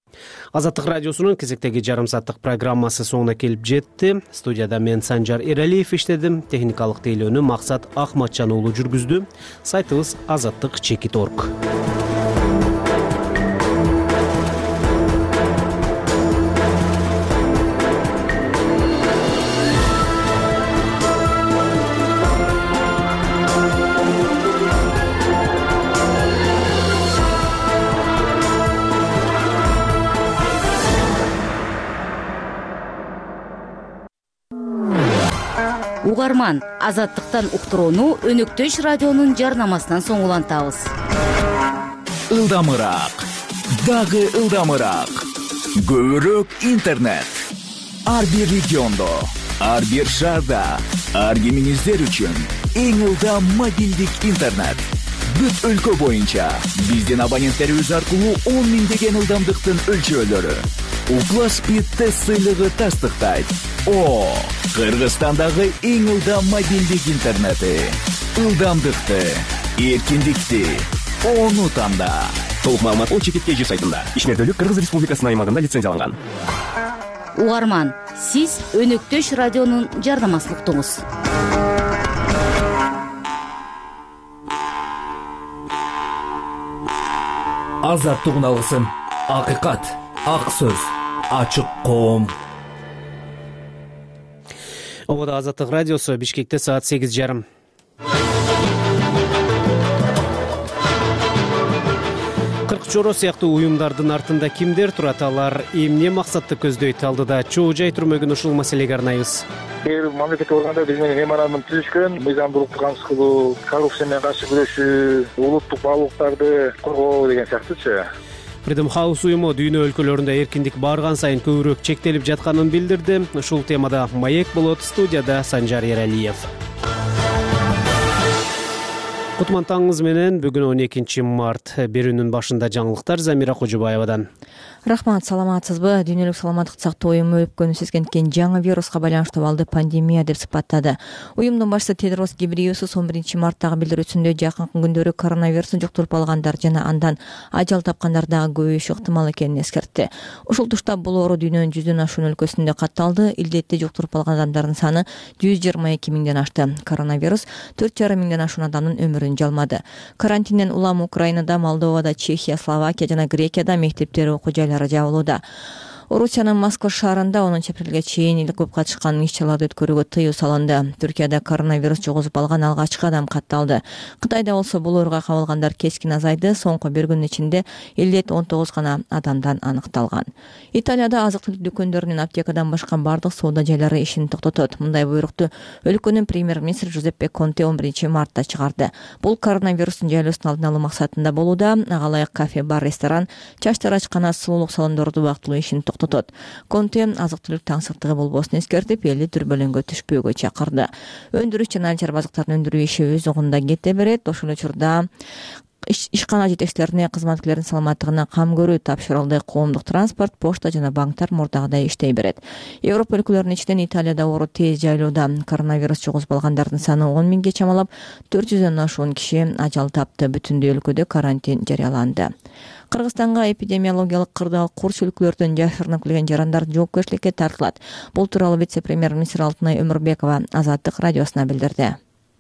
Азаттык радиосунун кезектеги жарым сааттык программасы соңуна келип жетти. Студияда мен Санжар Эралиев иштедим. Техникалык тейлөөнү Максат Ахматжан уулу жүргүздү. Сайтыбыз azattik.org. Угарман, Азаттыктан уктурууну Өнөктөш радионун жарнамасынан соң улантабыз. Ылдамыраак, дагы ылдамыраак. Көбүрөөк интернет. Ар бир региондо, ар бир шаарда, ар кимиңиздер үчүн эң ылдам мобилдик интернет. бүт өлкө боюнча. Биздин абоненттерибиз аркылуу 10 миңдеген ылдамдыктын өлчөөлөрү. Укла Speed тест сыйлыгы тастыктайт. Кыргызстандагы эң ылдам мобилдик интернети. Ылдамдыкты, эркиндикти, ону танда. Толук маалымат ОЧК сайтында. Ишмердүүлүк Кыргыз Республикасынын аймагында лицензияланган. Угарман, сиз Өнөктөш радионун жардамасын уктуңуз. Азаттыгын алгысым, акыйкат, ак сөз, ачык коом. Обода Азаттык радиосу, Бишкекте саат 8:30. Чоро сыяктуу уюмдардын артында кимдер турат, алар эмне максатты көздөйт? Алдыда чоо жай турмөгүн ушул маселеге арнайбыз. Мамлекеттик органдар биз менен меморандум түзүшкөн, мыйзамдуулукту камсыз кылуу, коррупция менен каршы күрөшүү, улуттук баалуулуктарды коргоо деген сыяктуучу. Freedom House уюму дүйнө өлкөлөрүндө эркиндик барган сайын көбүрөөк чектелип жатканын билдирди. Ушул темада маек болот. Студияда Санжар Ералиев. Кутман таңыңыз менен. Бүгүн 12 март. Берүүнүн башында жаңылыктар Замира Кожубаевадан. Рахмат, саламатсызбы? Дүйнөлүк саламаттык сактоо уюму өпкөнү сезгенткен жаңы вируска байланыштуу абалды пандемия деп сыпаттады. Уюмдун башчысы Тедрос Гебрейесус 11 марттагы билдирүүсүндө жакынкы күндөрү коронавирусту жуктуруп алгандар жана андан ажал тапкандар дагы көбөйүшү ыктымал экенин эскертти. Ушул тушта бул оору дүйнөнүн 100дөн ашуун өлкөсүндө катталды. Илдетти жуктуруп алган адамдардын саны 122 миңден ашты. Коронавирус 4,5 миңден ашуун адамдын өмүрүн жалмады. Карантинден улам Украинада, Молдовада, Чехия, Словакия жана Грекияда мектептер, окуу жайлары жабылууда. Орусиянын Москва шаарында 10 апрелге чейин эл көп катышкан иш-чараларды өткөрүүгө тыюу салынды. Түркияда коронавирус жугузуп алган алгачкы адам катталды. Кытайда болсо бул ооруга кабылгандар кескин азайды. Соңку бир күн ичинде 59 гана адамдан аныкталган. Италияда азык-түлүк дүкөндөрүнүн аптекадан башка бардык соода жайлары ишин токтотот. Мындай буйрукту өлкөнүн премьер-министри Жузеппе Конте 11 мартта чыгарды. Бул коронавирустун жайлоосун алдын алуу максатында болууда. Ага ылайык кафе, бар, ресторан, чач тарачкана, сулуулук салондорду убактылуу ишин токтотот. Конте азык-түлүк таңсыктыгы болбосун эскертип, элди дүрбөлөңгө түшпөөгө чакырды. Өндүрүш жана алчар базыктарын өндүрүү иши өз огунда кете берет. Ошол учурда ишкана жетекчилерине кызматкерлердин саламаттыгына кам көрүү тапшырылды. Коомдук транспорт, почта жана банктар мурдагыдай иштей берет. Европа өлкөлөрүнүн ичинен Италияда оору тез жайлоодо. Коронавирус жугузуп алгандардын саны 10 миңге чамалап, 400дөн ашуун киши ажал тапты. Бүтүндөй өлкөдө карантин жарыяланды. Кыргызстанга эпидемиологиялык кырдаал курч өлкөлөрдөн жашырынып келген жарандар жоопкерчиликке тартылат. Бул тууралуу вице-премьер-министр Алтынай Өмүрбекова Азаттык радиосуна билдирди.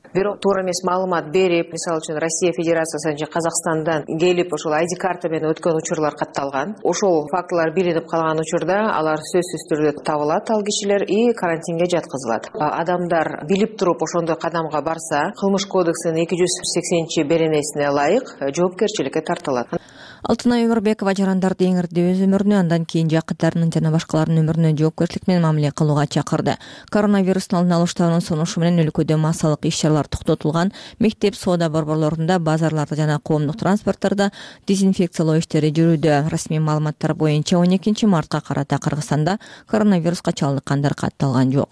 Бирок туура эмес маалымат берип, мисалы үчүн Россия Федерациясы же Казакстандан келип ошол ID карта менен өткөн учурлар катталган. Ошол фактылар билинип калган учурда алар сөзсүз түрдө табылат, ал кишилер и карантинге жаткызылат. Адамдар билип туруп ошондой кадамга барса, кылмыш кодексинин 280-беренесине ылайык жоопкерчиликке тартылат. Алтынай Өмүрбекова жарандарды эң ырды өз өмүрүнө, андан кийин жакындарынын жана башкалардын өмүрүнө жоопкерчилик менен мамиле кылууга чакырды. Коронавирустун алдын алуу штабынын сунушу менен өлкөдө массалык иш-чаралар токтотулган. Мектеп, соода борборлорунда, базарларда жана коомдук транспорттордо дезинфекциялоо иштери жүрүүдө. Расмий маалыматтар боюнча 12 мартка карата Кыргызстанда коронавируска чалдыккандар катталган жок.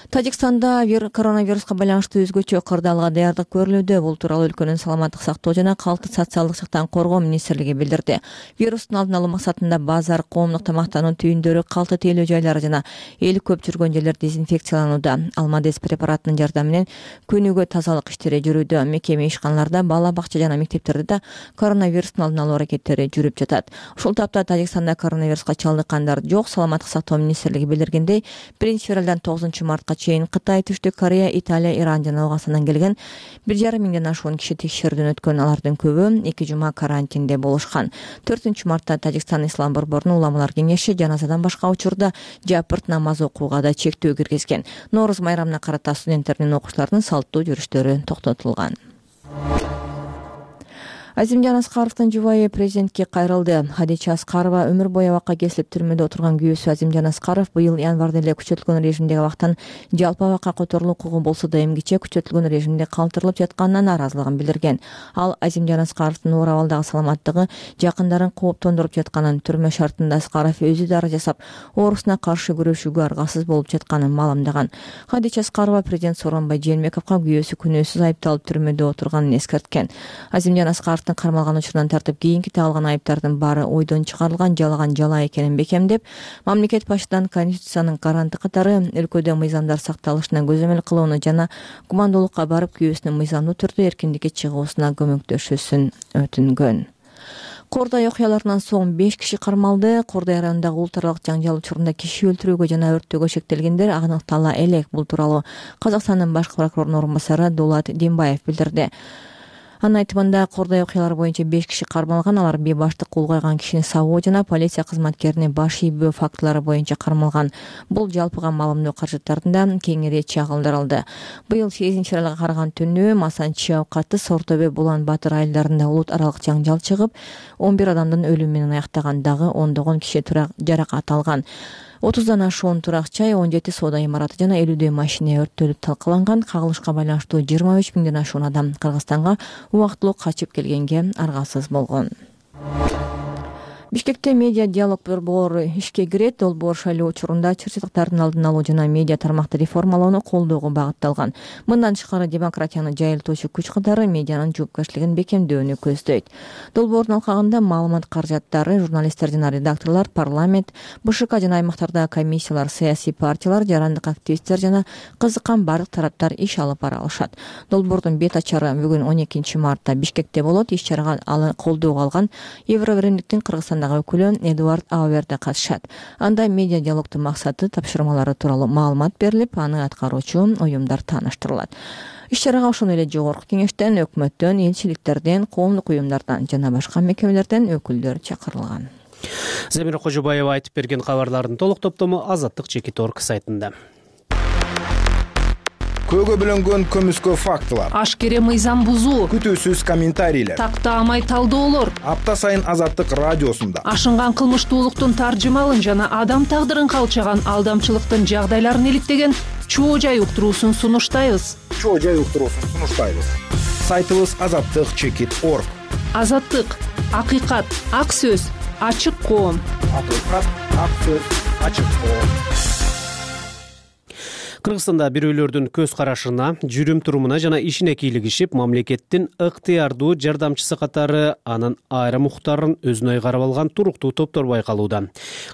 Тажикстанда коронавируска байланыштуу өзгөчө кырдаалга даярдык көрүлүүдө. Бул тууралуу өлкөнүн саламаттык сактоо жана калкты социалдык жактан коргоо министрлиги билдирди. Вирустун алдын алуу максатында базар, коомдук тамактануу түйүндөрү, калты тейлөө жайлары жана эл көп жүргөн жерлер дезинфекцияланууда. Алмадес препаратынын жардамы менен күнүгө тазалык иштери жүрүүдө. Мекеме ишканаларда, бала бакча жана мектептерде да коронавирустун алдын алуу аракеттери жүрүп жатат. Ушул тапта Тажикстанда коронавируска чалдыккандар жок. Саламаттык сактоо министрлиги билдиргендей, 1-февралдан 9 мартка чейин Кытай, Түштүк Корея, Италия, Иран жана Аугастандан келген 1,5 миңден ашуун киши текшерүүдөн өткөн. Алардын көбү 2 жума карантинде болушкан. 4 мартта Тажикстан Ислам борборунун уламалар кеңеши жаназадан башка учурда жапырт намаз окууга да чектөө киргизген. Нооруз майрамына карата студенттердин, окуучулардын салттуу жүрүштөрү токтотулган. Азимжан Аскаровдун жубайы президентке кайрылды. Хадича Аскарова өмүр бою абакка кесилип түрмөдө отурган күйөөсү Азимжан Аскаров быйыл январда эле күчөтүлгөн режимдеги абактан жалпы абакка которулуу укугу болсо да эмгиче күчөтүлгөн режимде калтырылып жатканына нааразылыгын билдирген. Ал Азимжан Аскаровдун оор абалдагы саламаттыгы жакындарын кооптондуруп жатканын, түрмө шартында Аскаров өзү дары жасап, оорусуна каршы күрөшүүгө аргасыз болуп жатканын маалымдаган. Хадича Аскарова президент Сооронбай Жээнбековго күйөөсү күнөөсүз айыпталып түрмөдө отурганын эскерткен. Азимжан Аскаровдун кармалган учурунан тартып кийинки тагылган айыптардын баары ойдон чыгарылган жалган жала экенин бекемдеп, мамлекет башчысынан Конституциянын гаранты катары өлкөдө мыйзамдар сакталышына көзөмөл кылууну жана гумандуулукка барып күйөөсүнүн мыйзамдуу түрдө эркиндикке чыгуусуна көмөктөшүүсүн өтүнгөн. Кордай окуяларынан соң 5 киши кармалды. Кордай районундагы улут аралык жаңжал учурунда киши өлтүрүүгө жана өрттөөгө шектелгендер аныктала элек. Бул тууралуу Казакстандын башкы прокурорунун орун басары Дулат Дембаев билдирди. Анын айтымында Кордай окуялары боюнча 5 киши кармалган. Алар бий баштык улгайган кишини сабоо жана полиция кызматкерине баш ийбөө фактылары боюнча кармалган. Бул жалпыга маалымдоо каражаттарында кеңири чагылдырылды. Быйыл 8-аралга караган түнү Масанчи Аукаты, Сортөбө, Булан Батыр айылдарында улут аралык жаңжал чыгып, 11 адамдын өлүмү менен аяктаган, дагы ондогон киши жаракат алган. 30дан ашуун турак-жай, 17 соода имараты жана 50дөй машина өрттөлүп талкаланган. Кагылышка байланыштуу 23 миңден ашуун адам Кыргызстанга убактылуу качып келгенге аргасыз болгон. Бишкекте медиа диалог борбору ишке кирет. Долбоор шайлоо учурунда чырчылыктардын алдын алуу жана медиа тармакты реформалоону колдоого багытталган. Мындан тышкары демократияны жайылтуучу күч катары медианын жоопкерчилигин бекемдөөнү көздөйт. Долбоордун алкагында маалымат каражаттары, журналисттер жана редакторлор, парламент, БШК жана аймактардагы комиссиялар, саясий партиялар, жарандык активисттер жана кызыккан бардык тараптар иш алып бара алышат. Долбоордун бет ачары бүгүн 12 мартта Бишкекте болот. Иш чарага колдоого алган Евробиримдиктин Кыргызстандагы өкүлү Эдуард Ауверде катышат. Анда медиа диалогдун максаты, тапшырмалары тууралуу маалымат берилип, аны аткаруучу уюмдар тааныштырылат. Иш чарага ошондой эле жогорку кеңештен, өкмөттөн, элчиликтерден, коомдук уюмдардан жана башка мекемелерден өкүлдөр чакырылган. Замира Кожобаева айтып берген кабарлардын толук топтому Азаттык Чекит.орг сайтында. Көөгө бөлөнгөн көмүскө фактылар, ашкере мыйзам бузуу, күтүүсүз комментарийлер, тактаамай талдоолор апта сайын Азаттык радиосунда ашынган кылмыштуулуктун таржымалын жана адам тагдырын калчаган алдамчылыктын жагдайларын иликтеген чоо жай уктуруусун сунуштайбыз. Сайтыбыз Азаттык Чекит.орg. Азаттык, акыйкат, ак сөз, ачык коом. Акыйкат, ак сөз, ачык коом. Кыргызстанда бирөөлөрдүн көз карашына, жүрүм-турумуна жана ишине кийлигишип, мамлекеттин ыктыярдуу жардамчысы катары анын айрым укуктарын өзүнө ыйгарып алган туруктуу топтор байкалууда.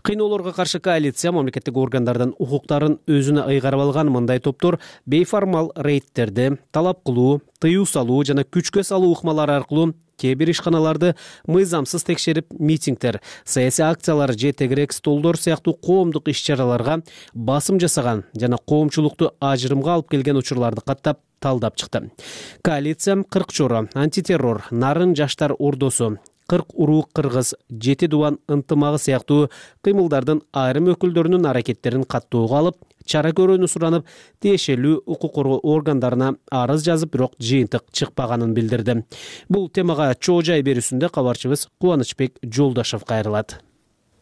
Кыйноолорго каршы коалиция мамлекеттик органдардын укуктарын өзүнө ыйгарып алган мындай топтор бейформал рейдтерди талап кылуу, тыюу салуу жана күчкө салуу ыкмалары аркылуу кээ бир ишканаларды мыйзамсыз текшерип, митингдер, саясий акциялар же тегерек столдор сыяктуу коомдук иш-чараларга басым жасаган жана коомчулукту ажырымга алып келген учурларды каттап талдап чыкты. Коалиция 40 чоро, антитеррор, нарын жаштар ордосу, 40 уруу кыргыз, 7 дубан ынтымагы сыяктуу кыймылдардын айрым өкүлдөрүнүн аракеттерин каттоого алып, чара көрүүнү суранып, тиешелүү укук коргоо органдарына арыз жазып, бирок жыйынтык чыкпаганын билдирди. Бул темага чоо жай берүүсүндө кабарчыбыз Кубанычбек Жолдашев кайрылат.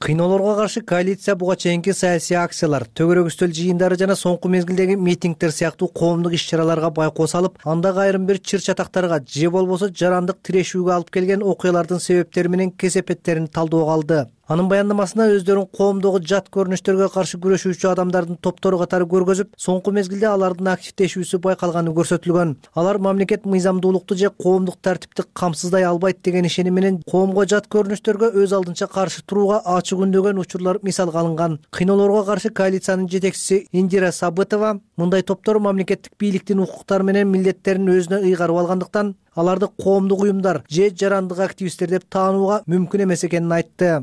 Кыйноолорго каршы коалиция буга чейинки саясий акциялар, төгөрөк үстөл жыйындары жана соңку мезгилдеги митингдер сыяктуу коомдук иш-чараларга байкоо салып, андагы айрым бир чыр-чатактарга же болбосо жарандык тирешүүгө алып келген окуялардын себептери менен кесепеттерин талдоого алды. Анын баяндамасында өздөрүн коомдогу жат көрүнүштөргө каршы күрөшүүчү адамдардын топтору катары көргөзүп, соңку мезгилде алардын активдешүүсү байкалганы көрсөтүлгөн. Алар мамлекет мыйзамдуулукту же коомдук тартипти камсыздай албайт деген ишеним менен коомго жат көрүнүштөргө өз алдынча каршы турууга ачык үндөгөн учурлар мисалга алынган. Кыйноолорго каршы коалициянын жетекчиси Индира Сабытова мындай топтор мамлекеттик бийликтин укуктары менен милдеттерин өзүнө ыйгарып алгандыктан аларды коомдук уюмдар же жарандык активисттер деп таанууга мүмкүн эмес экенин айтты.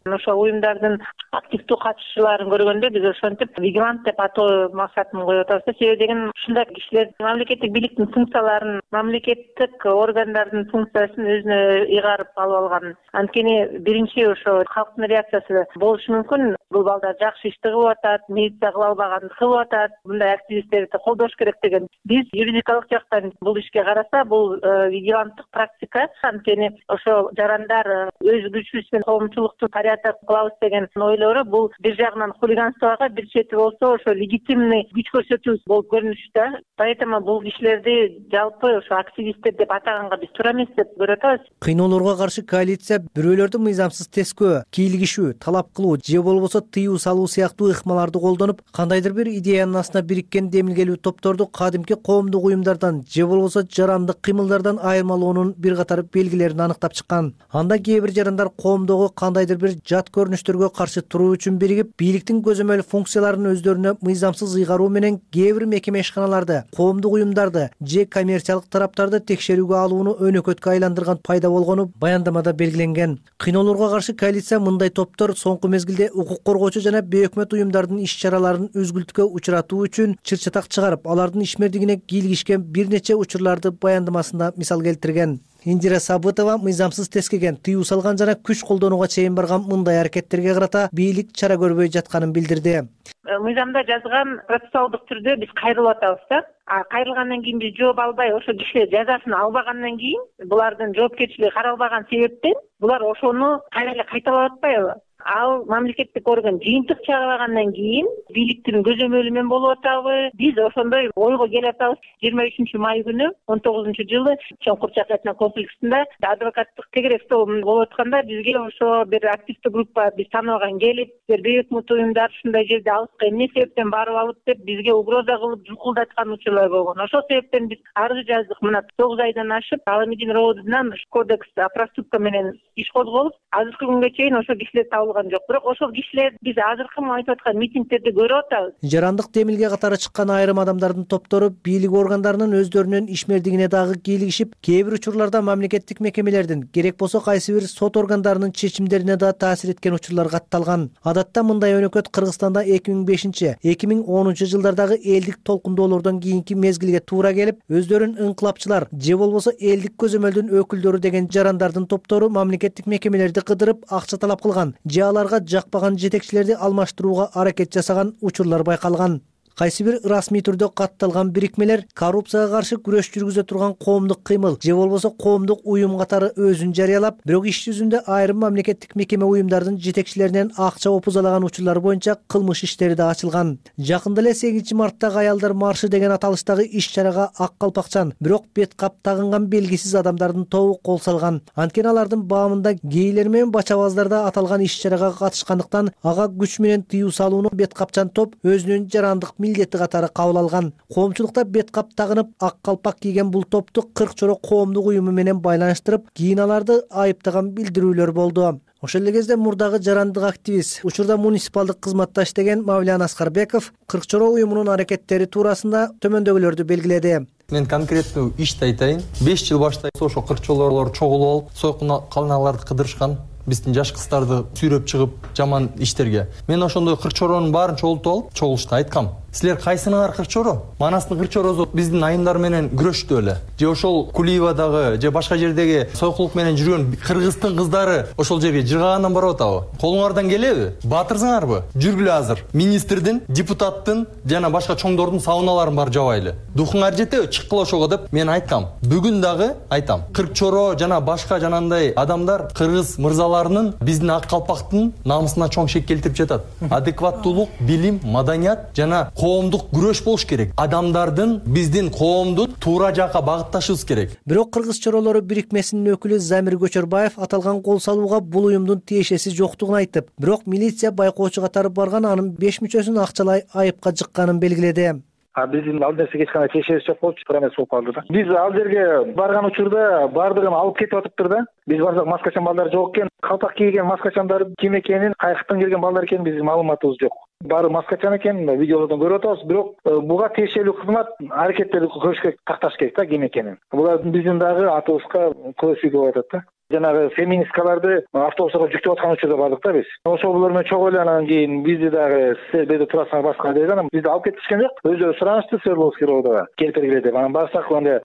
Ошо уюмдардын активдүү катышуучуларын көргөндө биз ошентип вигилант деп атоо максатын коюп атабыз да. Себеби деген ушундай кишилер мамлекеттик бийликтин функцияларын, мамлекеттик органдардын функциясын өзүнө ыйгарып алып алган. Анткени биринчи ошо калктын реакциясы болушу мүмкүн. Бул балдар жакшы ишти кылып атат, милиция кыла албаганды кылып атат, мындай активисттерди колдош керек деген. Биз юридикалык жактан бул ишке караса, бул вигиланттык практика. Анткени ошо жарандар өз күчүбүз менен коомчулукту тарыята кылабыз деген ойлору бул бир жагынан хулиганствого, бир чети болсо ошо легитимный күч көрсөтүү болуп көрүнүштө. Поэтому бул кишилерди жалпы ошо активисттер деп атаганга биз туура эмес деп көрүп атабыз. Кыйноолорго каршы коалиция бирөөлөрдү мыйзамсыз тескөө, кийлигишүү, талап кылуу же болбосо тыюу салуу сыяктуу ыкмаларды колдонуп, кандайдыр бир идеянын астына бириккен демилгелүү топторду кадимки коомдук уюмдардан же болбосо жарандык кыймылдардан айырмалоонун бир катар белгилерин аныктап чыккан. Анда кээ бир жарандар коомдогу кандайдыр бир жат көрүнүштөргө каршы туруу үчүн биригип, бийликтин көзөмөл функцияларын өздөрүнө мыйзамсыз ыйгаруу менен кээ бир мекеме ишканаларды, коомдук уюмдарды же коммерциялык тараптарды текшерүүгө алууну өнөкөткө айландырган пайда болгону баяндамада белгиленген. Кыйноолорго каршы коалиция мындай топтор соңку мезгилде укук коргоочу жана бейөкмөт уюмдардын иш-чараларын үзгүлтүккө учуратуу үчүн чыр-чатак чыгарып, алардын ишмердигине кийлигишкен бир нече учурларды баяндамасында мисал келтирген. Индира Сабытова мыйзамсыз тескеген, тыюу салган жана күч колдонууга чейин барган мындай аракеттерге карата бийлик чара көрбөй жатканын билдирди. Мыйзамда жазган процессуалдык түрдө биз кайрылып атабыз да. Кайрылгандан кийин биз жооп албай, ошо кишилер жазасын албагандан кийин, булардын жоопкерчилиги каралбаган себептен булар ошону кайра эле кайталап атпайбы? Ал мамлекеттик орган жыйынтык чыгаргандан кийин бийликтин көзөмөлү менен болуп атабы? Биз ошондой ойго келип атабыз. 23 май күнү 19-жылы Чоңкур Чакачна комплексинде адвокаттык тегерек стол болуп атканда бизге ошо бир активдүү группа биз тааныбаган келип, бейөкмөт уюмдар ушундай жерде алыска эмне себептен барып алып деп бизге угроза кылып жукулдаткан учурлар болгон. Ошол себептен биз арыз жаздык. Мына 9 айдан ашып Аламедин роодунан кодекс проступка менен иш козголуп, азыркы күнгө чейин ошо кишилер табылган жок. Бирок ошол кишилер биз азыркы айтып аткан митингдерди көрүп атабыз. Жарандык демилге катары чыккан айрым адамдардын топтору бийлик органдарынын өздөрүнүн ишмердигине дагы кийлигишип, кээ бир учурларда мамлекеттик мекемелердин, керек болсо кайсы бир сот органдарынын чечимдерине да таасир эткен учурлар катталган. Адатта мындай өнөкөт Кыргызстанда 2005-2010 жылдардагы элдик толкундоолордон кийинки мезгилге туура келип, өздөрүн ыңкылапчылар же болбосо элдик көзөмөлдүн өкүлдөрү деген жарандардын топтору мамлекеттик мекемелерди кыдырып акча талап кылган же аларга жакпаган жетекчилерди алмаштырууга аракет жасаган учурлар байкалган. Кайсы бир расмий түрдө катталган бирикмелер коррупцияга каршы күрөш жүргүзө турган коомдук кыймыл же болбосо коомдук уюм катары өзүн жарыялап, бирок иш жүзүндө айрым мамлекеттик мекеме уюмдардын жетекчилеринен акча опузалаган учурлар боюнча кылмыш иштери да ачылган. Жакында эле 8-марттагы аялдар маршы деген аталыштагы иш-чарага ак калпакчан, бирок бет кап тагынган белгисиз адамдардын тобу кол салган. Анткени алардын баамында гейлер менен бачабаздар да аталган иш-чарага катышкандыктан ага күч менен тыюу салууну бет капчан топ өзүнүн жарандык милдети катары кабыл алган. Коомчулукта бет кап тагынып, ак калпак кийген бул топту 40 чоро коомдук уюму менен байланыштырып, кийин аларды айыптаган билдирүүлөр болду. Ошол эле кезде мурдагы жарандык активист, учурда муниципалдык кызматта иштеген Мавлян Аскарбеков 40 чоро уюмунун аракеттери туурасында төмөндөгүлөрдү белгиледи. Мен конкреттүү ишти айтайын. 5 жыл башта ошо 40 чолорлор чогулуп алып, сойкун калыналарды кыдырышкан. Биздин жаш кыздарды сүйрөп чыгып жаман иштерге. Мен ошондой 40 чоронун баарын чогултуп алып, чогулушта айткам. Силер кайсыныңар 40 чоро? Манастын 40 чоросу биздин айымдар менен күрөштү эле. Же ошол Кулиевадагы, же башка жердеги сойкулук менен жүргөн кыргыздын кыздары ошол жерге жыргагандан барып атабы? Колуңардан келеби? Батырсыңарбы? Жүргүлө азыр. Министрдин, депутаттын жана башка чоңдордун сауналарын бар жабайлы. Духуңар жетеби? Чыккыла ошого деп мен айткам. Бүгүн дагы айтам. 40 чоро жана башка жанандай адамдар кыргыз мырзаларынын биздин ак калпактын намысына чоң шек келтирип жатат. Адекваттуулук, билим, маданият жана коомдук күрөш болуш керек. Адамдардын биздин коомду туура жакка багытташыбыз керек. Бирок кыргыз чоролору бирикмесинин өкүлү Замир Көчөрбаев аталган кол салууга бул уюмдун тиешеси жоктугун айтып, бирок милиция байкоочу катары барган анын 5 мүчөсүн акчалай айыпка жыкканын белгиледи. Биздин ал нерсеге эч кандай тиешебиз жок болчу, туура эмес болуп калды да. Биз ал жерге барган учурда бардыгын алып кетип атыптыр да. Биз барсак маскачан балдар жок экен, калпак кийген маскачандар ким экенин, кайяктан келген балдар экенин биздин маалыматыбыз жок. Баары маскачан экен, видеолордон көрүп атабыз, бирок буга тиешелүү кызмат аракеттерди көрүш керек, такташ керек да ким экенин. Булар биздин дагы атыбызга көз тийгип атат да. жанагы феминисткаларды автобустарга жүктөп аткан учурда бардык да биз. Ошол булар менен чогуу эле анан кийин бизди дагы силер бул жерде турасыңар башка деп анан бизди алып кетишкен жок. Өзүлөрү суранышты Свердловский РОВДга келип бергиле деп. Анан барсак анда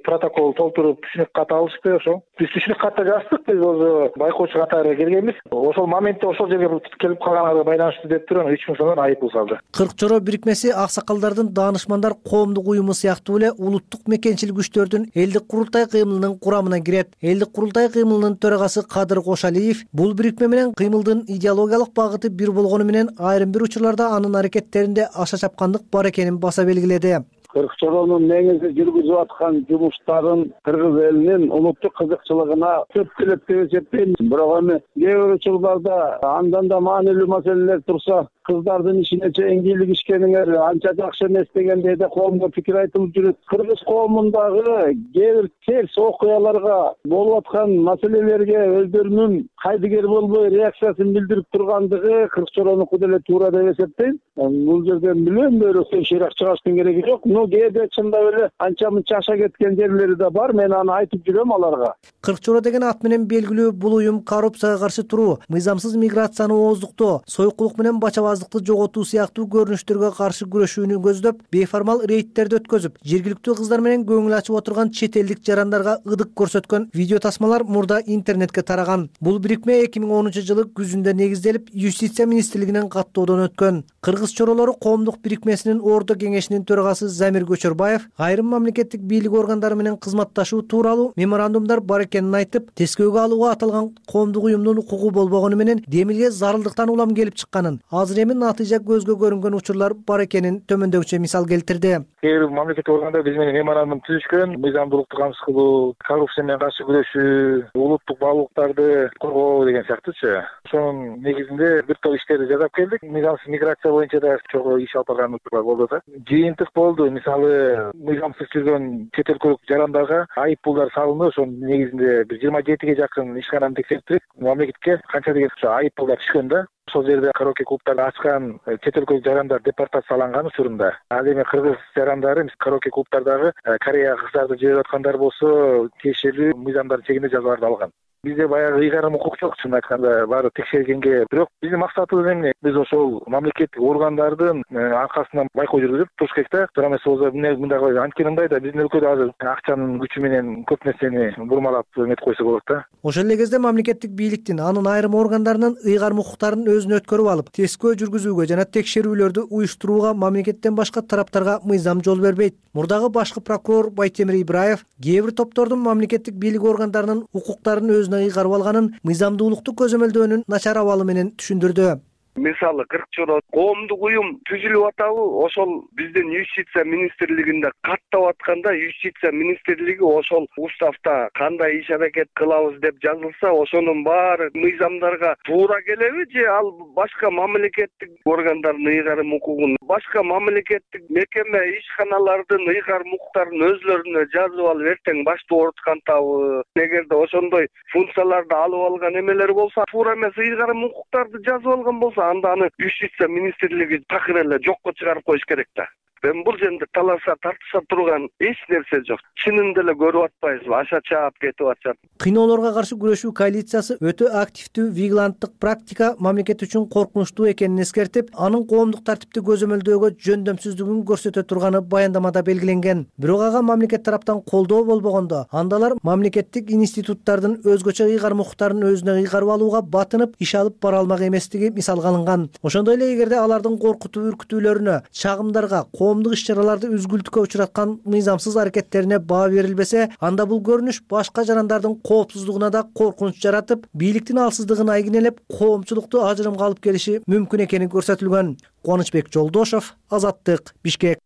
протокол толтуруп түшүнүк кат алышты. Ошо биз түшүнүк катты жаздык. Биз өзү байкоочу катары келгенбиз. Ошол моментте ошол жерге келип калганга байланыштуу деп туруп 3000 сомдон айып пул салды. Кырк чоро бирикмеси аксакалдардын даанышмандар коомдук уюму сыяктуу эле улуттук мекенчил күчтөрдүн элдик курултай кыймылынын курамына кирет. Элдик курултай кыймылынын төрагасы Кадыр Кошалиев бул бирикме менен кыймылдын идеологиялык багыты бир болгону менен айрым бир учурларда анын аракеттеринде аша чапкандык бар экенин баса белгиледи. Кырк чоронун негизи жүргүзүп аткан жумуштарын кыргыз элинин улуттук кызыкчылыгына көп келет деп эсептейм. Бирок эми кээ бир учурларда андан да маанилүү маселелер турса, кыздардын ишине чейин кийлигишкениңер анча жакшы эмес дегендей да коомго пикир айтылып жүрөт. Кыргыз коомундагы кээ бир терс окуяларга болуп аткан маселелерге өздөрүнүн кайдыгер болбой реакциясын билдирип тургандыгы кырк чоронуку деле туура деп эсептейм. Бул жерден мүлөн бөйрөктөн шыйрак чыгаштын кереги жок. Кээде чындап эле анча мынча аша кеткен жерлери да бар. Мен аны айтып жүрөм аларга. Кырк чоро деген ат менен белгилүү бул уюм коррупцияга каршы туруу, мыйзамсыз миграцияны ооздуктоо, сойкулук менен бачабаздыкты жоготуу сыяктуу көрүнүштөргө каршы күрөшүүнү көздөп, бейформал рейдтерди өткөзүп, жергиликтүү кыздар менен көңүл ачып отурган чет элдик жарандарга ыдык көрсөткөн видео тасмалар мурда интернетке тараган. Бул бирикме 2010-жылы күзүндө негизделип, Юстиция министрлигинен каттоодон өткөн. Кыргыз чоролору коомдук бирикмесинин Ордо кеңешинин төрагасы Замир Көчөрбаев айрым мамлекеттик бийлик органдары менен кызматташуу тууралуу меморандумдар бар экенин айтып, тескөөгө алууга аталган коомдук уюмдун укугу болбогону менен демилге зарылдыктан улам келип чыкканын, азыр эми натыйжа көзгө көрүнгөн учурлар бар экенин төмөндөгүчө мисал келтирди. Кээ бир мамлекеттик органдар биз менен меморандум түзүшкөн, мыйзамдуулукту камсыз кылуу, коррупция менен каршы күрөшүү, улуттук баалуулуктарды коргоо деген сыяктуучу. Ошонун негизинде бир топ иштерди жасап келдик. Мыйзамсыз миграция боюнча да чогуу иш алып барган учурлар болду да. Жыйынтык болду. Мисалы, мыйзамсыз жүргөн чет өлкөлүк жарандарга айып пулдар салынды. Ошонун негизинде бир 27ге жакын ишкананы текшертип, мамлекетке канча деген айып пулдар түшкөн да. Ошол жерде караоке клубтарды ачкан чет өлкөлүк жарандар депортацияланган учурунда. Ал эми кыргыз жарандары караоке клубтардагы Кореяга кыздарды жиберип аткандар болсо, тиешелүү мыйзамдардын чегинде жазаларды алган. Бизде баягы ыйгарым укук жок, чын айтканда, баары текшергенге. Бирок биздин максатыбыз эмне? Биз ошол мамлекеттик органдардын аркасынан байкоо жүргүзүп туруш керек да. Туура эмес болсо мындай анткени мындай да, биздин өлкөдө азыр акчанын күчү менен көп нерсени бурмалап эметип койсо болот да. Ошол эле кезде мамлекеттик бийликтин анын айрым органдарынын ыйгарым укуктарын өзүнө өткөрүп алып, тескөө жүргүзүүгө жана текшерүүлөрдү уюштурууга мамлекеттен башка тараптарга мыйзам жол бербейт. Мурдагы башкы прокурор Байтемир Ибраев кээ бир топтордун мамлекеттик бийлик органдарынын укуктарын өзүнө ыйгарып алганын, мыйзамдуулукту көзөмөлдөөнүн начар абалы менен түшүндүрдү. Мисалы кырк чоро коомдук уюм түзүлүп атабы, ошол биздин Юстиция министрлигинде каттап атканда, Юстиция министрлиги ошол уставда кандай иш аракет кылабыз деп жазылса, ошонун баары мыйзамдарга туура келеби же ал башка мамлекеттик органдардын ыйгарым укугун, башка мамлекеттик мекеме ишканалардын ыйгарым укуктарын өзлөрүнө жазып алып эртең башты ооруткантабы? Эгерде ошондой функцияларды алып алган эмелер болсо, туура эмес ыйгарым укуктарды жазып алган болсо, анда аны Юстиция министрлиги такыр эле жокко чыгарып коюш керек да. Мен бул жерде таласа тартыша турган эч нерсе жок. Чынында эле көрүп атпайсызбы? Аша чаап кетип атышат. Кыйноолорго каршы күрөшүү коалициясы өтө активдүү вигиланттык практика мамлекет үчүн коркунучтуу экенин эскертип, анын коомдук тартипти көзөмөлдөөгө жөндөмсүздүгүн көрсөтө турганы баяндамада белгиленген. Бирок ага мамлекет тараптан колдоо болбогондо, андалар мамлекеттик институттардын өзгөчө ыйгарым укуктарын өзүнө ыйгарып алууга батынып, иш алып бара алмак эместиги мисалга алынган. Ошондой эле эгерде алардын коркутуу үркүтүүлөрүнө, чагымдарга, коомдук иш-чараларды үзгүлтүккө учураткан мыйзамсыз аракеттерине баа берилбесе, анда бул көрүнүш башка жарандардын коопсуздугуна да коркунуч жаратып, бийликтин алсыздыгын айгинелеп, коомчулукту ажырымга алып келиши мүмкүн экени көрсөтүлгөн. Кубанычбек Жолдошов, Азаттык, Бишкек.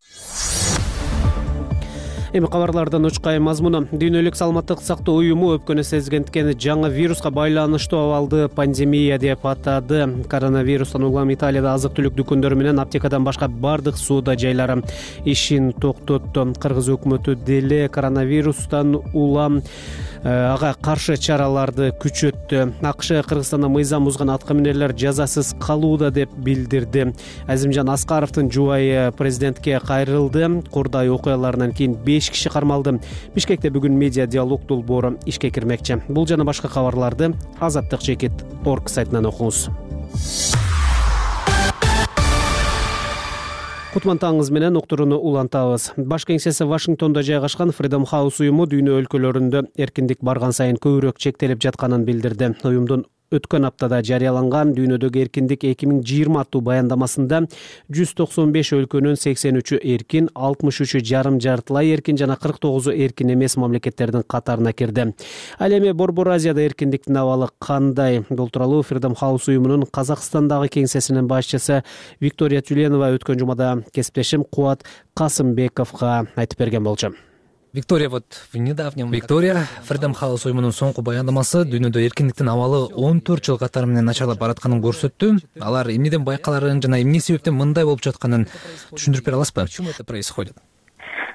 Эми кабарлардан учкай мазмуну. Дүйнөлүк саламаттык сактоо уюму өпкөнү сезгендиктен жаңы вируска байланыштуу абалды пандемия деп атады. Коронавирустан улам Италияда азык-түлүк дүкөндөрү менен аптекадан башка бардык соода жайлары ишин токтотту. Кыргыз өкмөтү деле коронавирустан улам ага каршы чараларды күчөттү. АКШ Кыргызстанда мыйзам бузган аткаминерлер жазасыз калууда деп билдирди. Азимжан Аскаровдун жубайы президентке кайрылды. Курдай окуяларынан кийин 5 5 киши кармалды. Бишкекте бүгүн медиа диалог долбоору ишке кирмекчи. Бул жана башка кабарларды azattik.org сайтынан окуңуз. Кутман таңыңыз менен уктурууну улантабыз. Баш кеңсеси Вашингтондо жайгашкан Freedom House уюму дүйнө өлкөлөрүндө эркиндик барган сайын көбүрөөк чектелип жатканын билдирди. Уюмдун өткөн аптада жарыяланган дүйнөдөгү эркиндик 2020 аттуу баяндамасында 195 өлкөнүн 83-ү эркин, 63-ү жарым жартылай эркин жана 49-у эркин эмес мамлекеттердин катарына кирди. Ал эми Борбор Азияда эркиндиктин абалы кандай? Бул тууралуу Freedom House уюмунун Казакстандагы кеңсесинин башчысы Виктория Тюленова өткөн жумада кесиптешим Кубат Касымбековго айтып берген болчу. Виктория, Freedom House уюмунун соңку баяндамасы дүйнөдө эркиндиктин абалы 14 жыл катары менен начарлап баратканын көрсөттү. Алар эмнеден байкаларын жана эмне себептен мындай болуп жатканын түшүндүрүп бере аласызбы? Почему это происходит?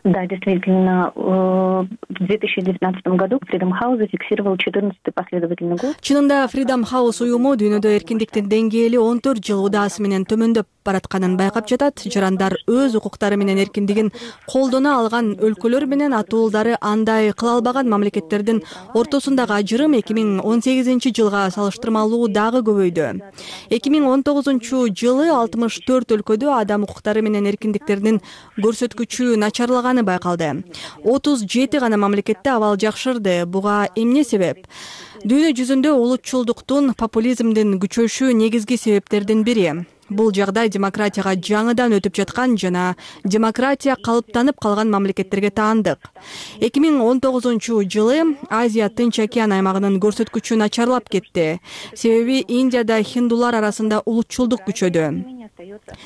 Да, действительно, в 2019 году Freedom House зафиксировал 14-й последовательный год. Чынында Freedom House уюму дүйнөдө эркиндиктин деңгээли 14 жыл удаасы менен төмөндөп баратканын байкап жатат. Жарандар өз укуктары менен эркиндигин колдоно алган өлкөлөр менен атуулдары андай кыла албаган мамлекеттердин ортосундагы ажырым 2018 жылга салыштырмалуу дагы көбөйдү. 2019 жылы 64 өлкөдө адам укуктары менен эркиндиктеринин көрсөткүчү начарлаганы байкалды. 37 гана мамлекетте абал жакшырды. Буга эмне себеп? Дүйнө жүзүндө улутчулдуктун, популизмдин күчөшү негизги себептердин бири. Бул жагдай демократияга жаңыдан өтүп жаткан жана демократия калыптанып калган мамлекеттерге таандык. 2019 жылы Азия Тынч океан аймагынын көрсөткүчү начарлап кетти. Себеби Индияда хиндулар арасында улутчулдук күчөдү.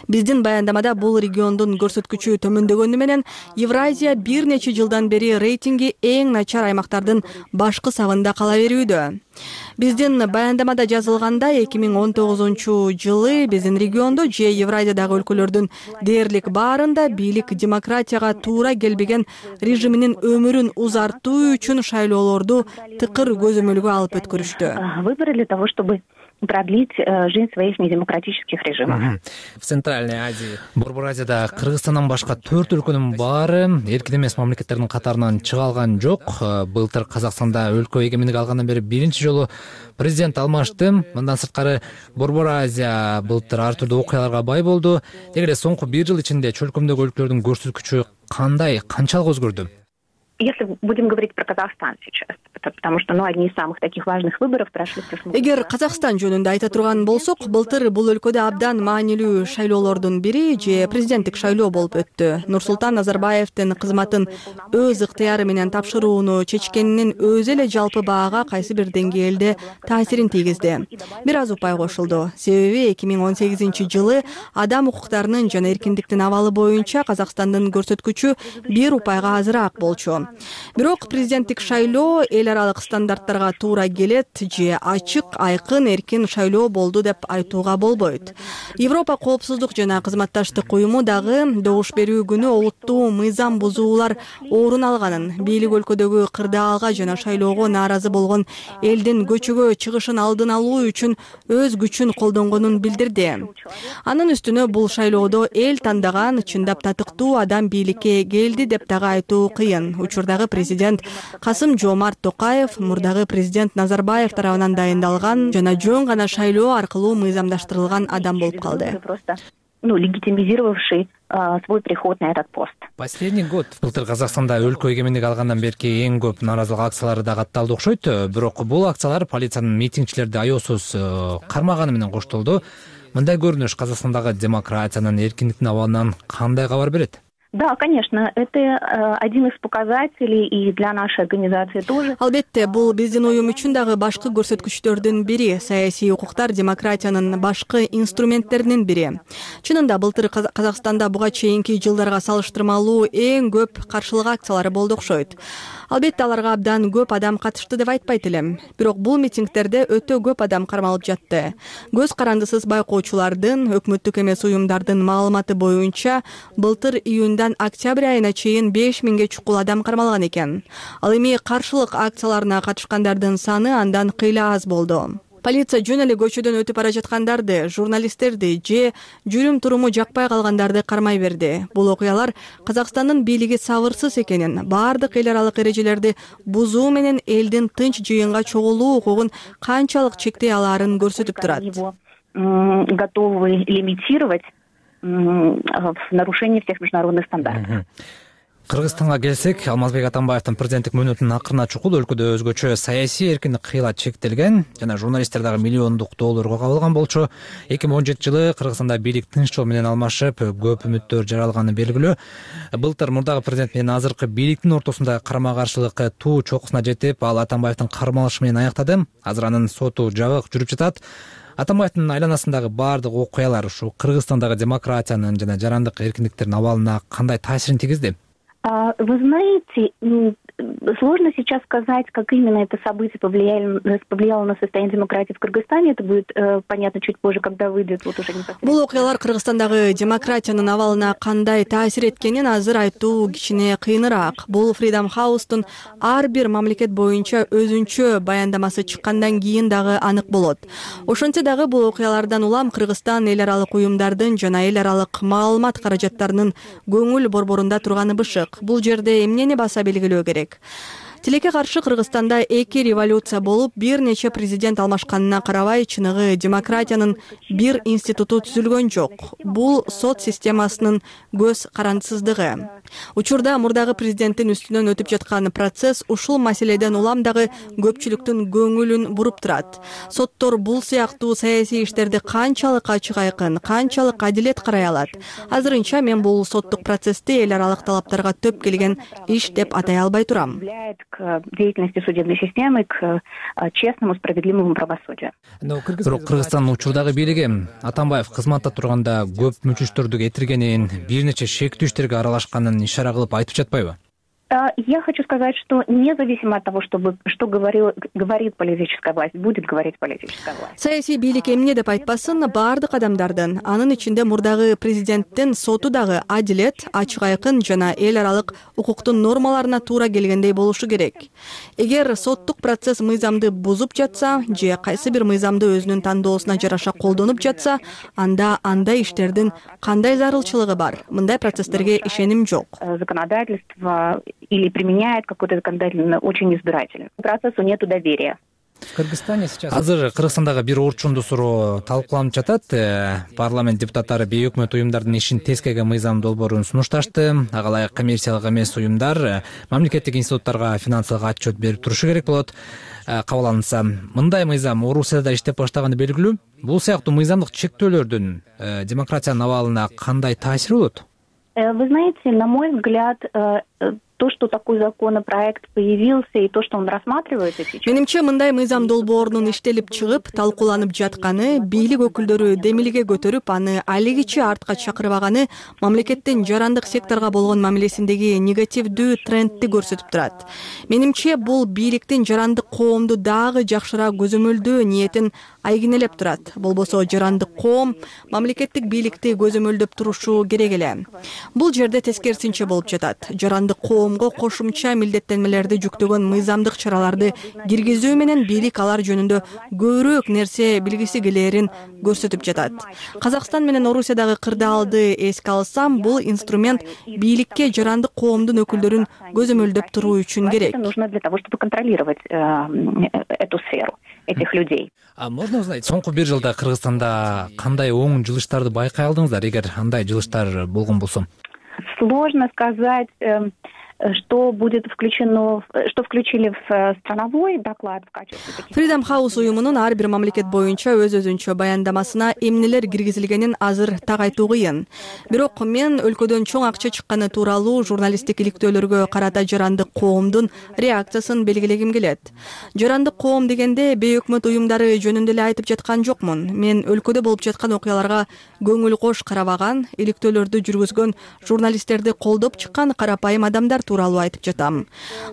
Биздин баяндамада бул региондун көрсөткүчү төмөндөгөнү менен Евразия бир нече жылдан бери рейтинги эң начар аймактардын башкы сагында кала берүүдө. Биздин баяндамада жазылгандай 2019 жылы биздин региондо же Евразиядагы өлкөлөрдүн дээрлик баарында бийлик демократияга туура келбеген режиминин өмүрүн узартуу үчүн шайлоолорду тыкыр көзөмөлгө алып өткөрүштү. Выборы для того, чтобы продлить жизнь своих недемократических режимов. В Центральной Азии, Борбор Азияда Кыргызстандан башка 4 өлкөнүн баары эркин эмес мамлекеттердин катарынан чыга алган жок. Былтыр Казакстанда өлкө эгемендик алгандан бери биринчи жолу президент алмашты. Мындан сырткары Борбор Азия былтыр ар түрдүү окуяларга бай болду. Эгерде соңку 1 жыл ичинде чөлкөмдөгү өлкөлөрдүн көрсөткүчү канчалык өзгөрдү? Если будем говорить про Казахстан сейчас, потому что одни из самых таких важных выборов прошли в прошлом году. Эгер Казакстан жөнүндө айта турган болсок, былтыр бул өлкөдө абдан маанилүү шайлоолордун бири же президенттик шайлоо болуп өттү. Нурсултан Назарбаевдин кызматын өз ыктыяры менен тапшырууну чечкенинин өзү эле жалпы баага кайсы бир деңгээлде таасирин тийгизди. Бир аз упай кошулду. Себеби 2018 жылы адам укуктарынын жана эркиндиктин абалы боюнча Казакстандын көрсөткүчү 1 упайга азыраак болчу. Бирок президенттик шайлоо эл аралык стандарттарга туура келет же ачык, айкын, эркин шайлоо болду деп айтууга болбойт. Европа коопсуздук жана кызматташтык уюму дагы добуш берүү күнү олуттуу мыйзам бузуулар орун алганын, бийлик өлкөдөгү кырдаалга жана шайлоого нааразы болгон элдин көчөгө чыгышын алдын алуу үчүн өз күчүн колдонгонун билдирди. Анын үстүнө бул шайлоодо эл тандаган чындап татыктуу адам бийликке келди деп дагы айтуу кыйын. Учурдагы президент Касым-Жомарт Токаев мурдагы президент Назарбаев тарабынан дайындалган жана жөн гана шайлоо аркылуу мыйзамдаштырылган адам болуп калды. Легитимизировавший свой приход на этот пост. Последний год былтыр Казакстанда өлкө эгемендик алгандан берки эң көп нааразылык акциялары да катталды окшойт. Бирок бул акциялар полициянын митингчилерди аяосуз кармаганы менен коштолду. Мындай көрүнүш Казакстандагы демократиянын, эркиндиктин абалынан кандай кабар берет? Да, конечно, это один из показателей и для нашей организации тоже. Албетте, бул биздин уюм үчүн дагы башкы көрсөткүчтөрдүн бири, саясий укуктар демократиянын башкы инструменттеринин бири. Чынында былтыр Казакстанда буга чейинки жылдарга салыштырмалуу эң көп каршылык акциялары болду окшойт. Албетте аларга абдан көп адам катышты деп айтпайт элем. Бирок бул митингтерде өтө көп адам кармалып жатты. Көз карандысыз байкоочулардын, өкмөттүк эмес уюмдардын маалыматы боюнча былтыр июндан октябрь айына чейин 5000ге чукул адам кармалган экен. Ал эми каршылык акцияларына катышкандардын саны андан кыйла аз болду. Полиция жөн эле көчөдөн өтүп бара жаткандарды, журналисттерди же жүрүм туруму жакпай калгандарды кармай берди. Бул окуялар Казакстандын бийлиги сабырсыз экенин, баардык эл аралык эрежелерди бузуу менен элдин тынч жыйынга чогулуу укугун канчалык чектей алаарын көрсөтүп турат. Готовы лимитировать в нарушении всех международных стандартов. Кыргызстанга келсек, Алмазбек Атамбаевдин президенттик мөөнөтүнүн акырына чукул өлкөдө өзгөчө саясий эркиндик кыйла чектелген жана журналисттер дагы миллиондук долларга кабылган болчу. 2017 жылы Кыргызстанда бийлик тынч жол менен алмашып, көп үмүттөр жаралганы белгилүү. Былтыр мурдагы президент менен азыркы бийликтин ортосунда карама-каршылык туу чокусуна жетип, ал Атамбаевдин кармалышы менен аяктады. Азыр анын соту жабык жүрүп жатат. Атамбаевдин айланасындагы баардык окуялар ушу Кыргызстандагы демократиянын жана жарандык эркиндиктердин абалына кандай таасирин тийгизди? Вы знаете, сложно сейчас сказать, как именно это событие повлияло на состояние демократии в Кыргызстане. Это будет понятно чуть позже, когда выйдет вот уже непосредственно. Бул окуялар Кыргызстандагы демократиянын абалына кандай таасир эткенин азыр айтуу кичине кыйыныраак. Бул Freedom House'тун ар бир мамлекет боюнча өзүнчө баяндамасы чыккандан кийин дагы анык болот. Ошентсе дагы бул окуялардан улам Кыргызстан эл аралык уюмдардын жана эл аралык маалымат каражаттарынын көңүл борборунда турганы бышык. Бул жерде эмнени баса белгилөө керек? Тилекке каршы Кыргызстанда эки революция болуп, бир нече президент алмашканына карабай, чыныгы демократиянын бир институту түзүлгөн жок. Бул сот системасынын көз карандысыздыгы. Учурда мурдагы президенттин үстүнөн өтүп жаткан процесс ушул маселеден улам дагы көпчүлүктүн көңүлүн буруп турат. Соттор бул сыяктуу саясий иштерди канчалык ачык айкын, канчалык адилет карай алат? Азырынча мен бул соттук процессти эл аралык талаптарга төп келген иш деп атай албай турам. К деятельности судебной системы, к честному, справедливому правосудию. Бирок Кыргызстандын учурдагы бийлиги Атамбаев кызматта турганда көп мүчүстөрдү кетиргенин, бир нече шектүү иштерге аралашканын ишара кылып айтып жатпайбы? Я хочу сказать, что независимо от того, что говорит политическая власть, будет говорить политическая власть. Саясий бийлик эмне деп айтпасын, баардык адамдардын, анын ичинде мурдагы президенттин соту дагы адилет, ачык айкын жана эл аралык укуктун нормаларына туура келгендей болушу керек. Эгер соттук процесс мыйзамды бузуп жатса, же кайсы бир мыйзамды өзүнүн тандоосуна жараша колдонуп жатса, анда андай иштердин кандай зарылчылыгы бар? Мындай процесстерге ишеним жок. Законодательство или применяет какой-то законодательный очень избирательно. Процессу нету доверия. Азыр Кыргызстандагы бир орчундуу суроо талкууланып жатат. Парламент депутаттары бейөкмөт уюмдардын ишин тескеге мыйзам долбоорун сунушташты. Ага ылайык коммерциялык эмес уюмдар мамлекеттик институттарга финансылык отчет берип турушу керек болот. Кабыл алынса, мындай мыйзам Орусияда иштеп баштаганы белгилүү. Бул сыяктуу мыйзамдык чектөөлөрдүн демократиянын абалына кандай таасири болот? Вы знаете, на мой взгляд, то, что такой законопроект появился и то, что он рассматривается сейчас. Менимче, мындай мыйзам долбоорунун иштелип чыгып, талкууланып жатканы, бийлик өкүлдөрү демилге көтөрүп, аны алигичи артка чакырбаганы мамлекеттин жарандык секторго болгон мамилесиндеги негативдүү трендти көрсөтүп турат. Менимче, бул бийликтин жарандык коомду дагы жакшыраак көзөмөлдөө ниетин айгинелеп турат. Болбосо жарандык коом мамлекеттик бийликти көзөмөлдөп турушу керек эле. Бул жерде тескерисинче болуп жатат. Жарандык коомго кошумча милдеттенмелерди жүктөгөн мыйзамдык чараларды киргизүү менен бийлик алар жөнүндө көбүрөөк нерсе билгиси келээрин көрсөтүп жатат. Казакстан менен Орусиядагы кырдаалды эске алсам, бул инструмент бийликке жарандык коомдун өкүлдөрүн көзөмөлдөп туруу үчүн керек. Нужно для того, чтобы контролировать эту сферу этих людей. Можно узнать, соңку бир жылда Кыргызстанда кандай оң жылыштарды байкай алдыңыздар, эгер андай жылыштар болгон болсо? Сложно сказать, что будет включено, что включили в страновой доклад в качестве таких. Freedom House уюмунун ар бир мамлекет боюнча өзүнчө баяндамасына эмнелер киргизилгенин азыр так айтуу кыйын. Бирок мен өлкөдөн чоң акча чыкканы тууралуу журналисттик иликтөөлөргө карата жарандык коомдун реакциясын белгилегим келет. Жарандык коом дегенде бейөкмөт уюмдары жөнүндө эле айтып жаткан жокмун. Мен өлкөдө болуп жаткан окуяларга көңүл кош карабаган, иликтөөлөрдү жүргүзгөн журналисттерди колдоп чыккан карапайым адамдар тууралуу айтып жатам.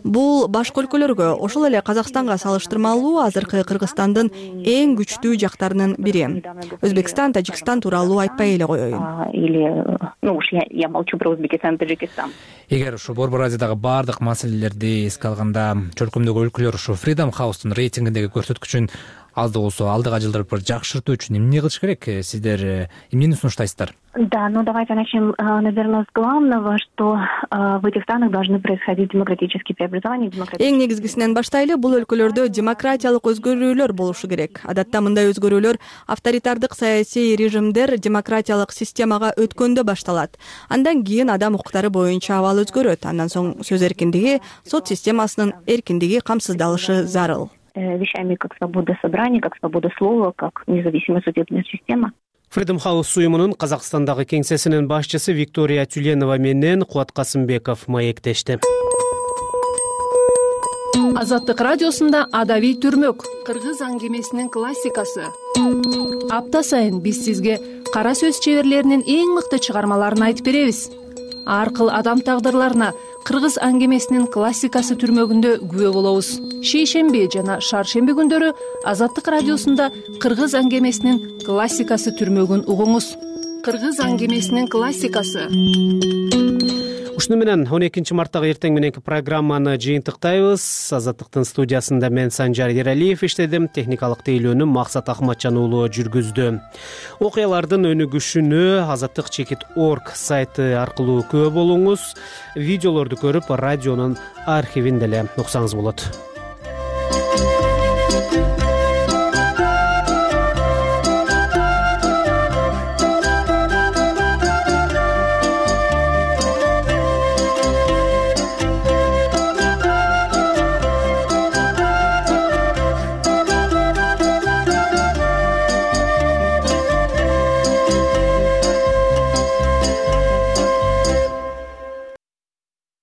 Бул башка өлкөлөргө, ошол эле Казакстанга салыштырмалуу азыркы Кыргызстандын эң күчтүү жактарынын бири. Өзбекстан, Тажикстан тууралуу айтпай эле коеюн. Или, уж я молчу про Узбекистан, Таджикистан. Эгер ушу Борбор Азиядагы баардык маселелерди эске алганда, чөлкөмдөгү өлкөлөр ушу Freedom House'тун рейтингиндеги көрсөткүчүн азды болсо алдыга жылдырып жакшыртуу үчүн эмне кылыш керек? Сиздер эмнени сунуштайсыздар? Да, ну давайте начнем, наверное, с главного, что в этих странах должны происходить демократические преобразования. Эң негизгисинен баштайлы, бул өлкөлөрдө демократиялык өзгөрүүлөр болушу керек. Адатта мындай өзгөрүүлөр авторитардык саясий режимдер демократиялык системага өткөндө башталат. Андан кийин адам укуктары боюнча абал өзгөрөт. Андан соң сөз эркиндиги, сот системасынын эркиндиги камсыздалышы зарыл. Вещами как свобода собрания, как свобода слова, как независимая судебная система. Freedom House уюмунун Казакстандагы кеңсесинин башчысы Виктория Тюленова менен Кубат Касымбеков маектешти. Азаттык радиосунда адабий түрмөк, кыргыз аңгемесинин классикасы. Апта сайын биз сизге кара сөз чеберлеринин эң мыкты чыгармаларын айтып беребиз. Ар кыл адам тагдырларына кыргыз аңгемесинин классикасы түрмөгүндө күбө болобуз. Шейшемби жана шаршемби күндөрү Азаттык радиосунда кыргыз аңгемесинин классикасы түрмөгүн угуңуз. Кыргыз аңгемесинин классикасы. Ушуну менен 12 марттагы эртең мененки программаны жыйынтыктайбыз. Азаттыктын студиясында мен Санжар Ералиев иштедим, техникалык тейлөөнү Максат Ахматжан уулу жүргүздү. Окуялардын өнүгүшүнө azattik.org сайты аркылуу күбө болуңуз. Видеолорду көрүп, радионун архивин деле уксаңыз болот.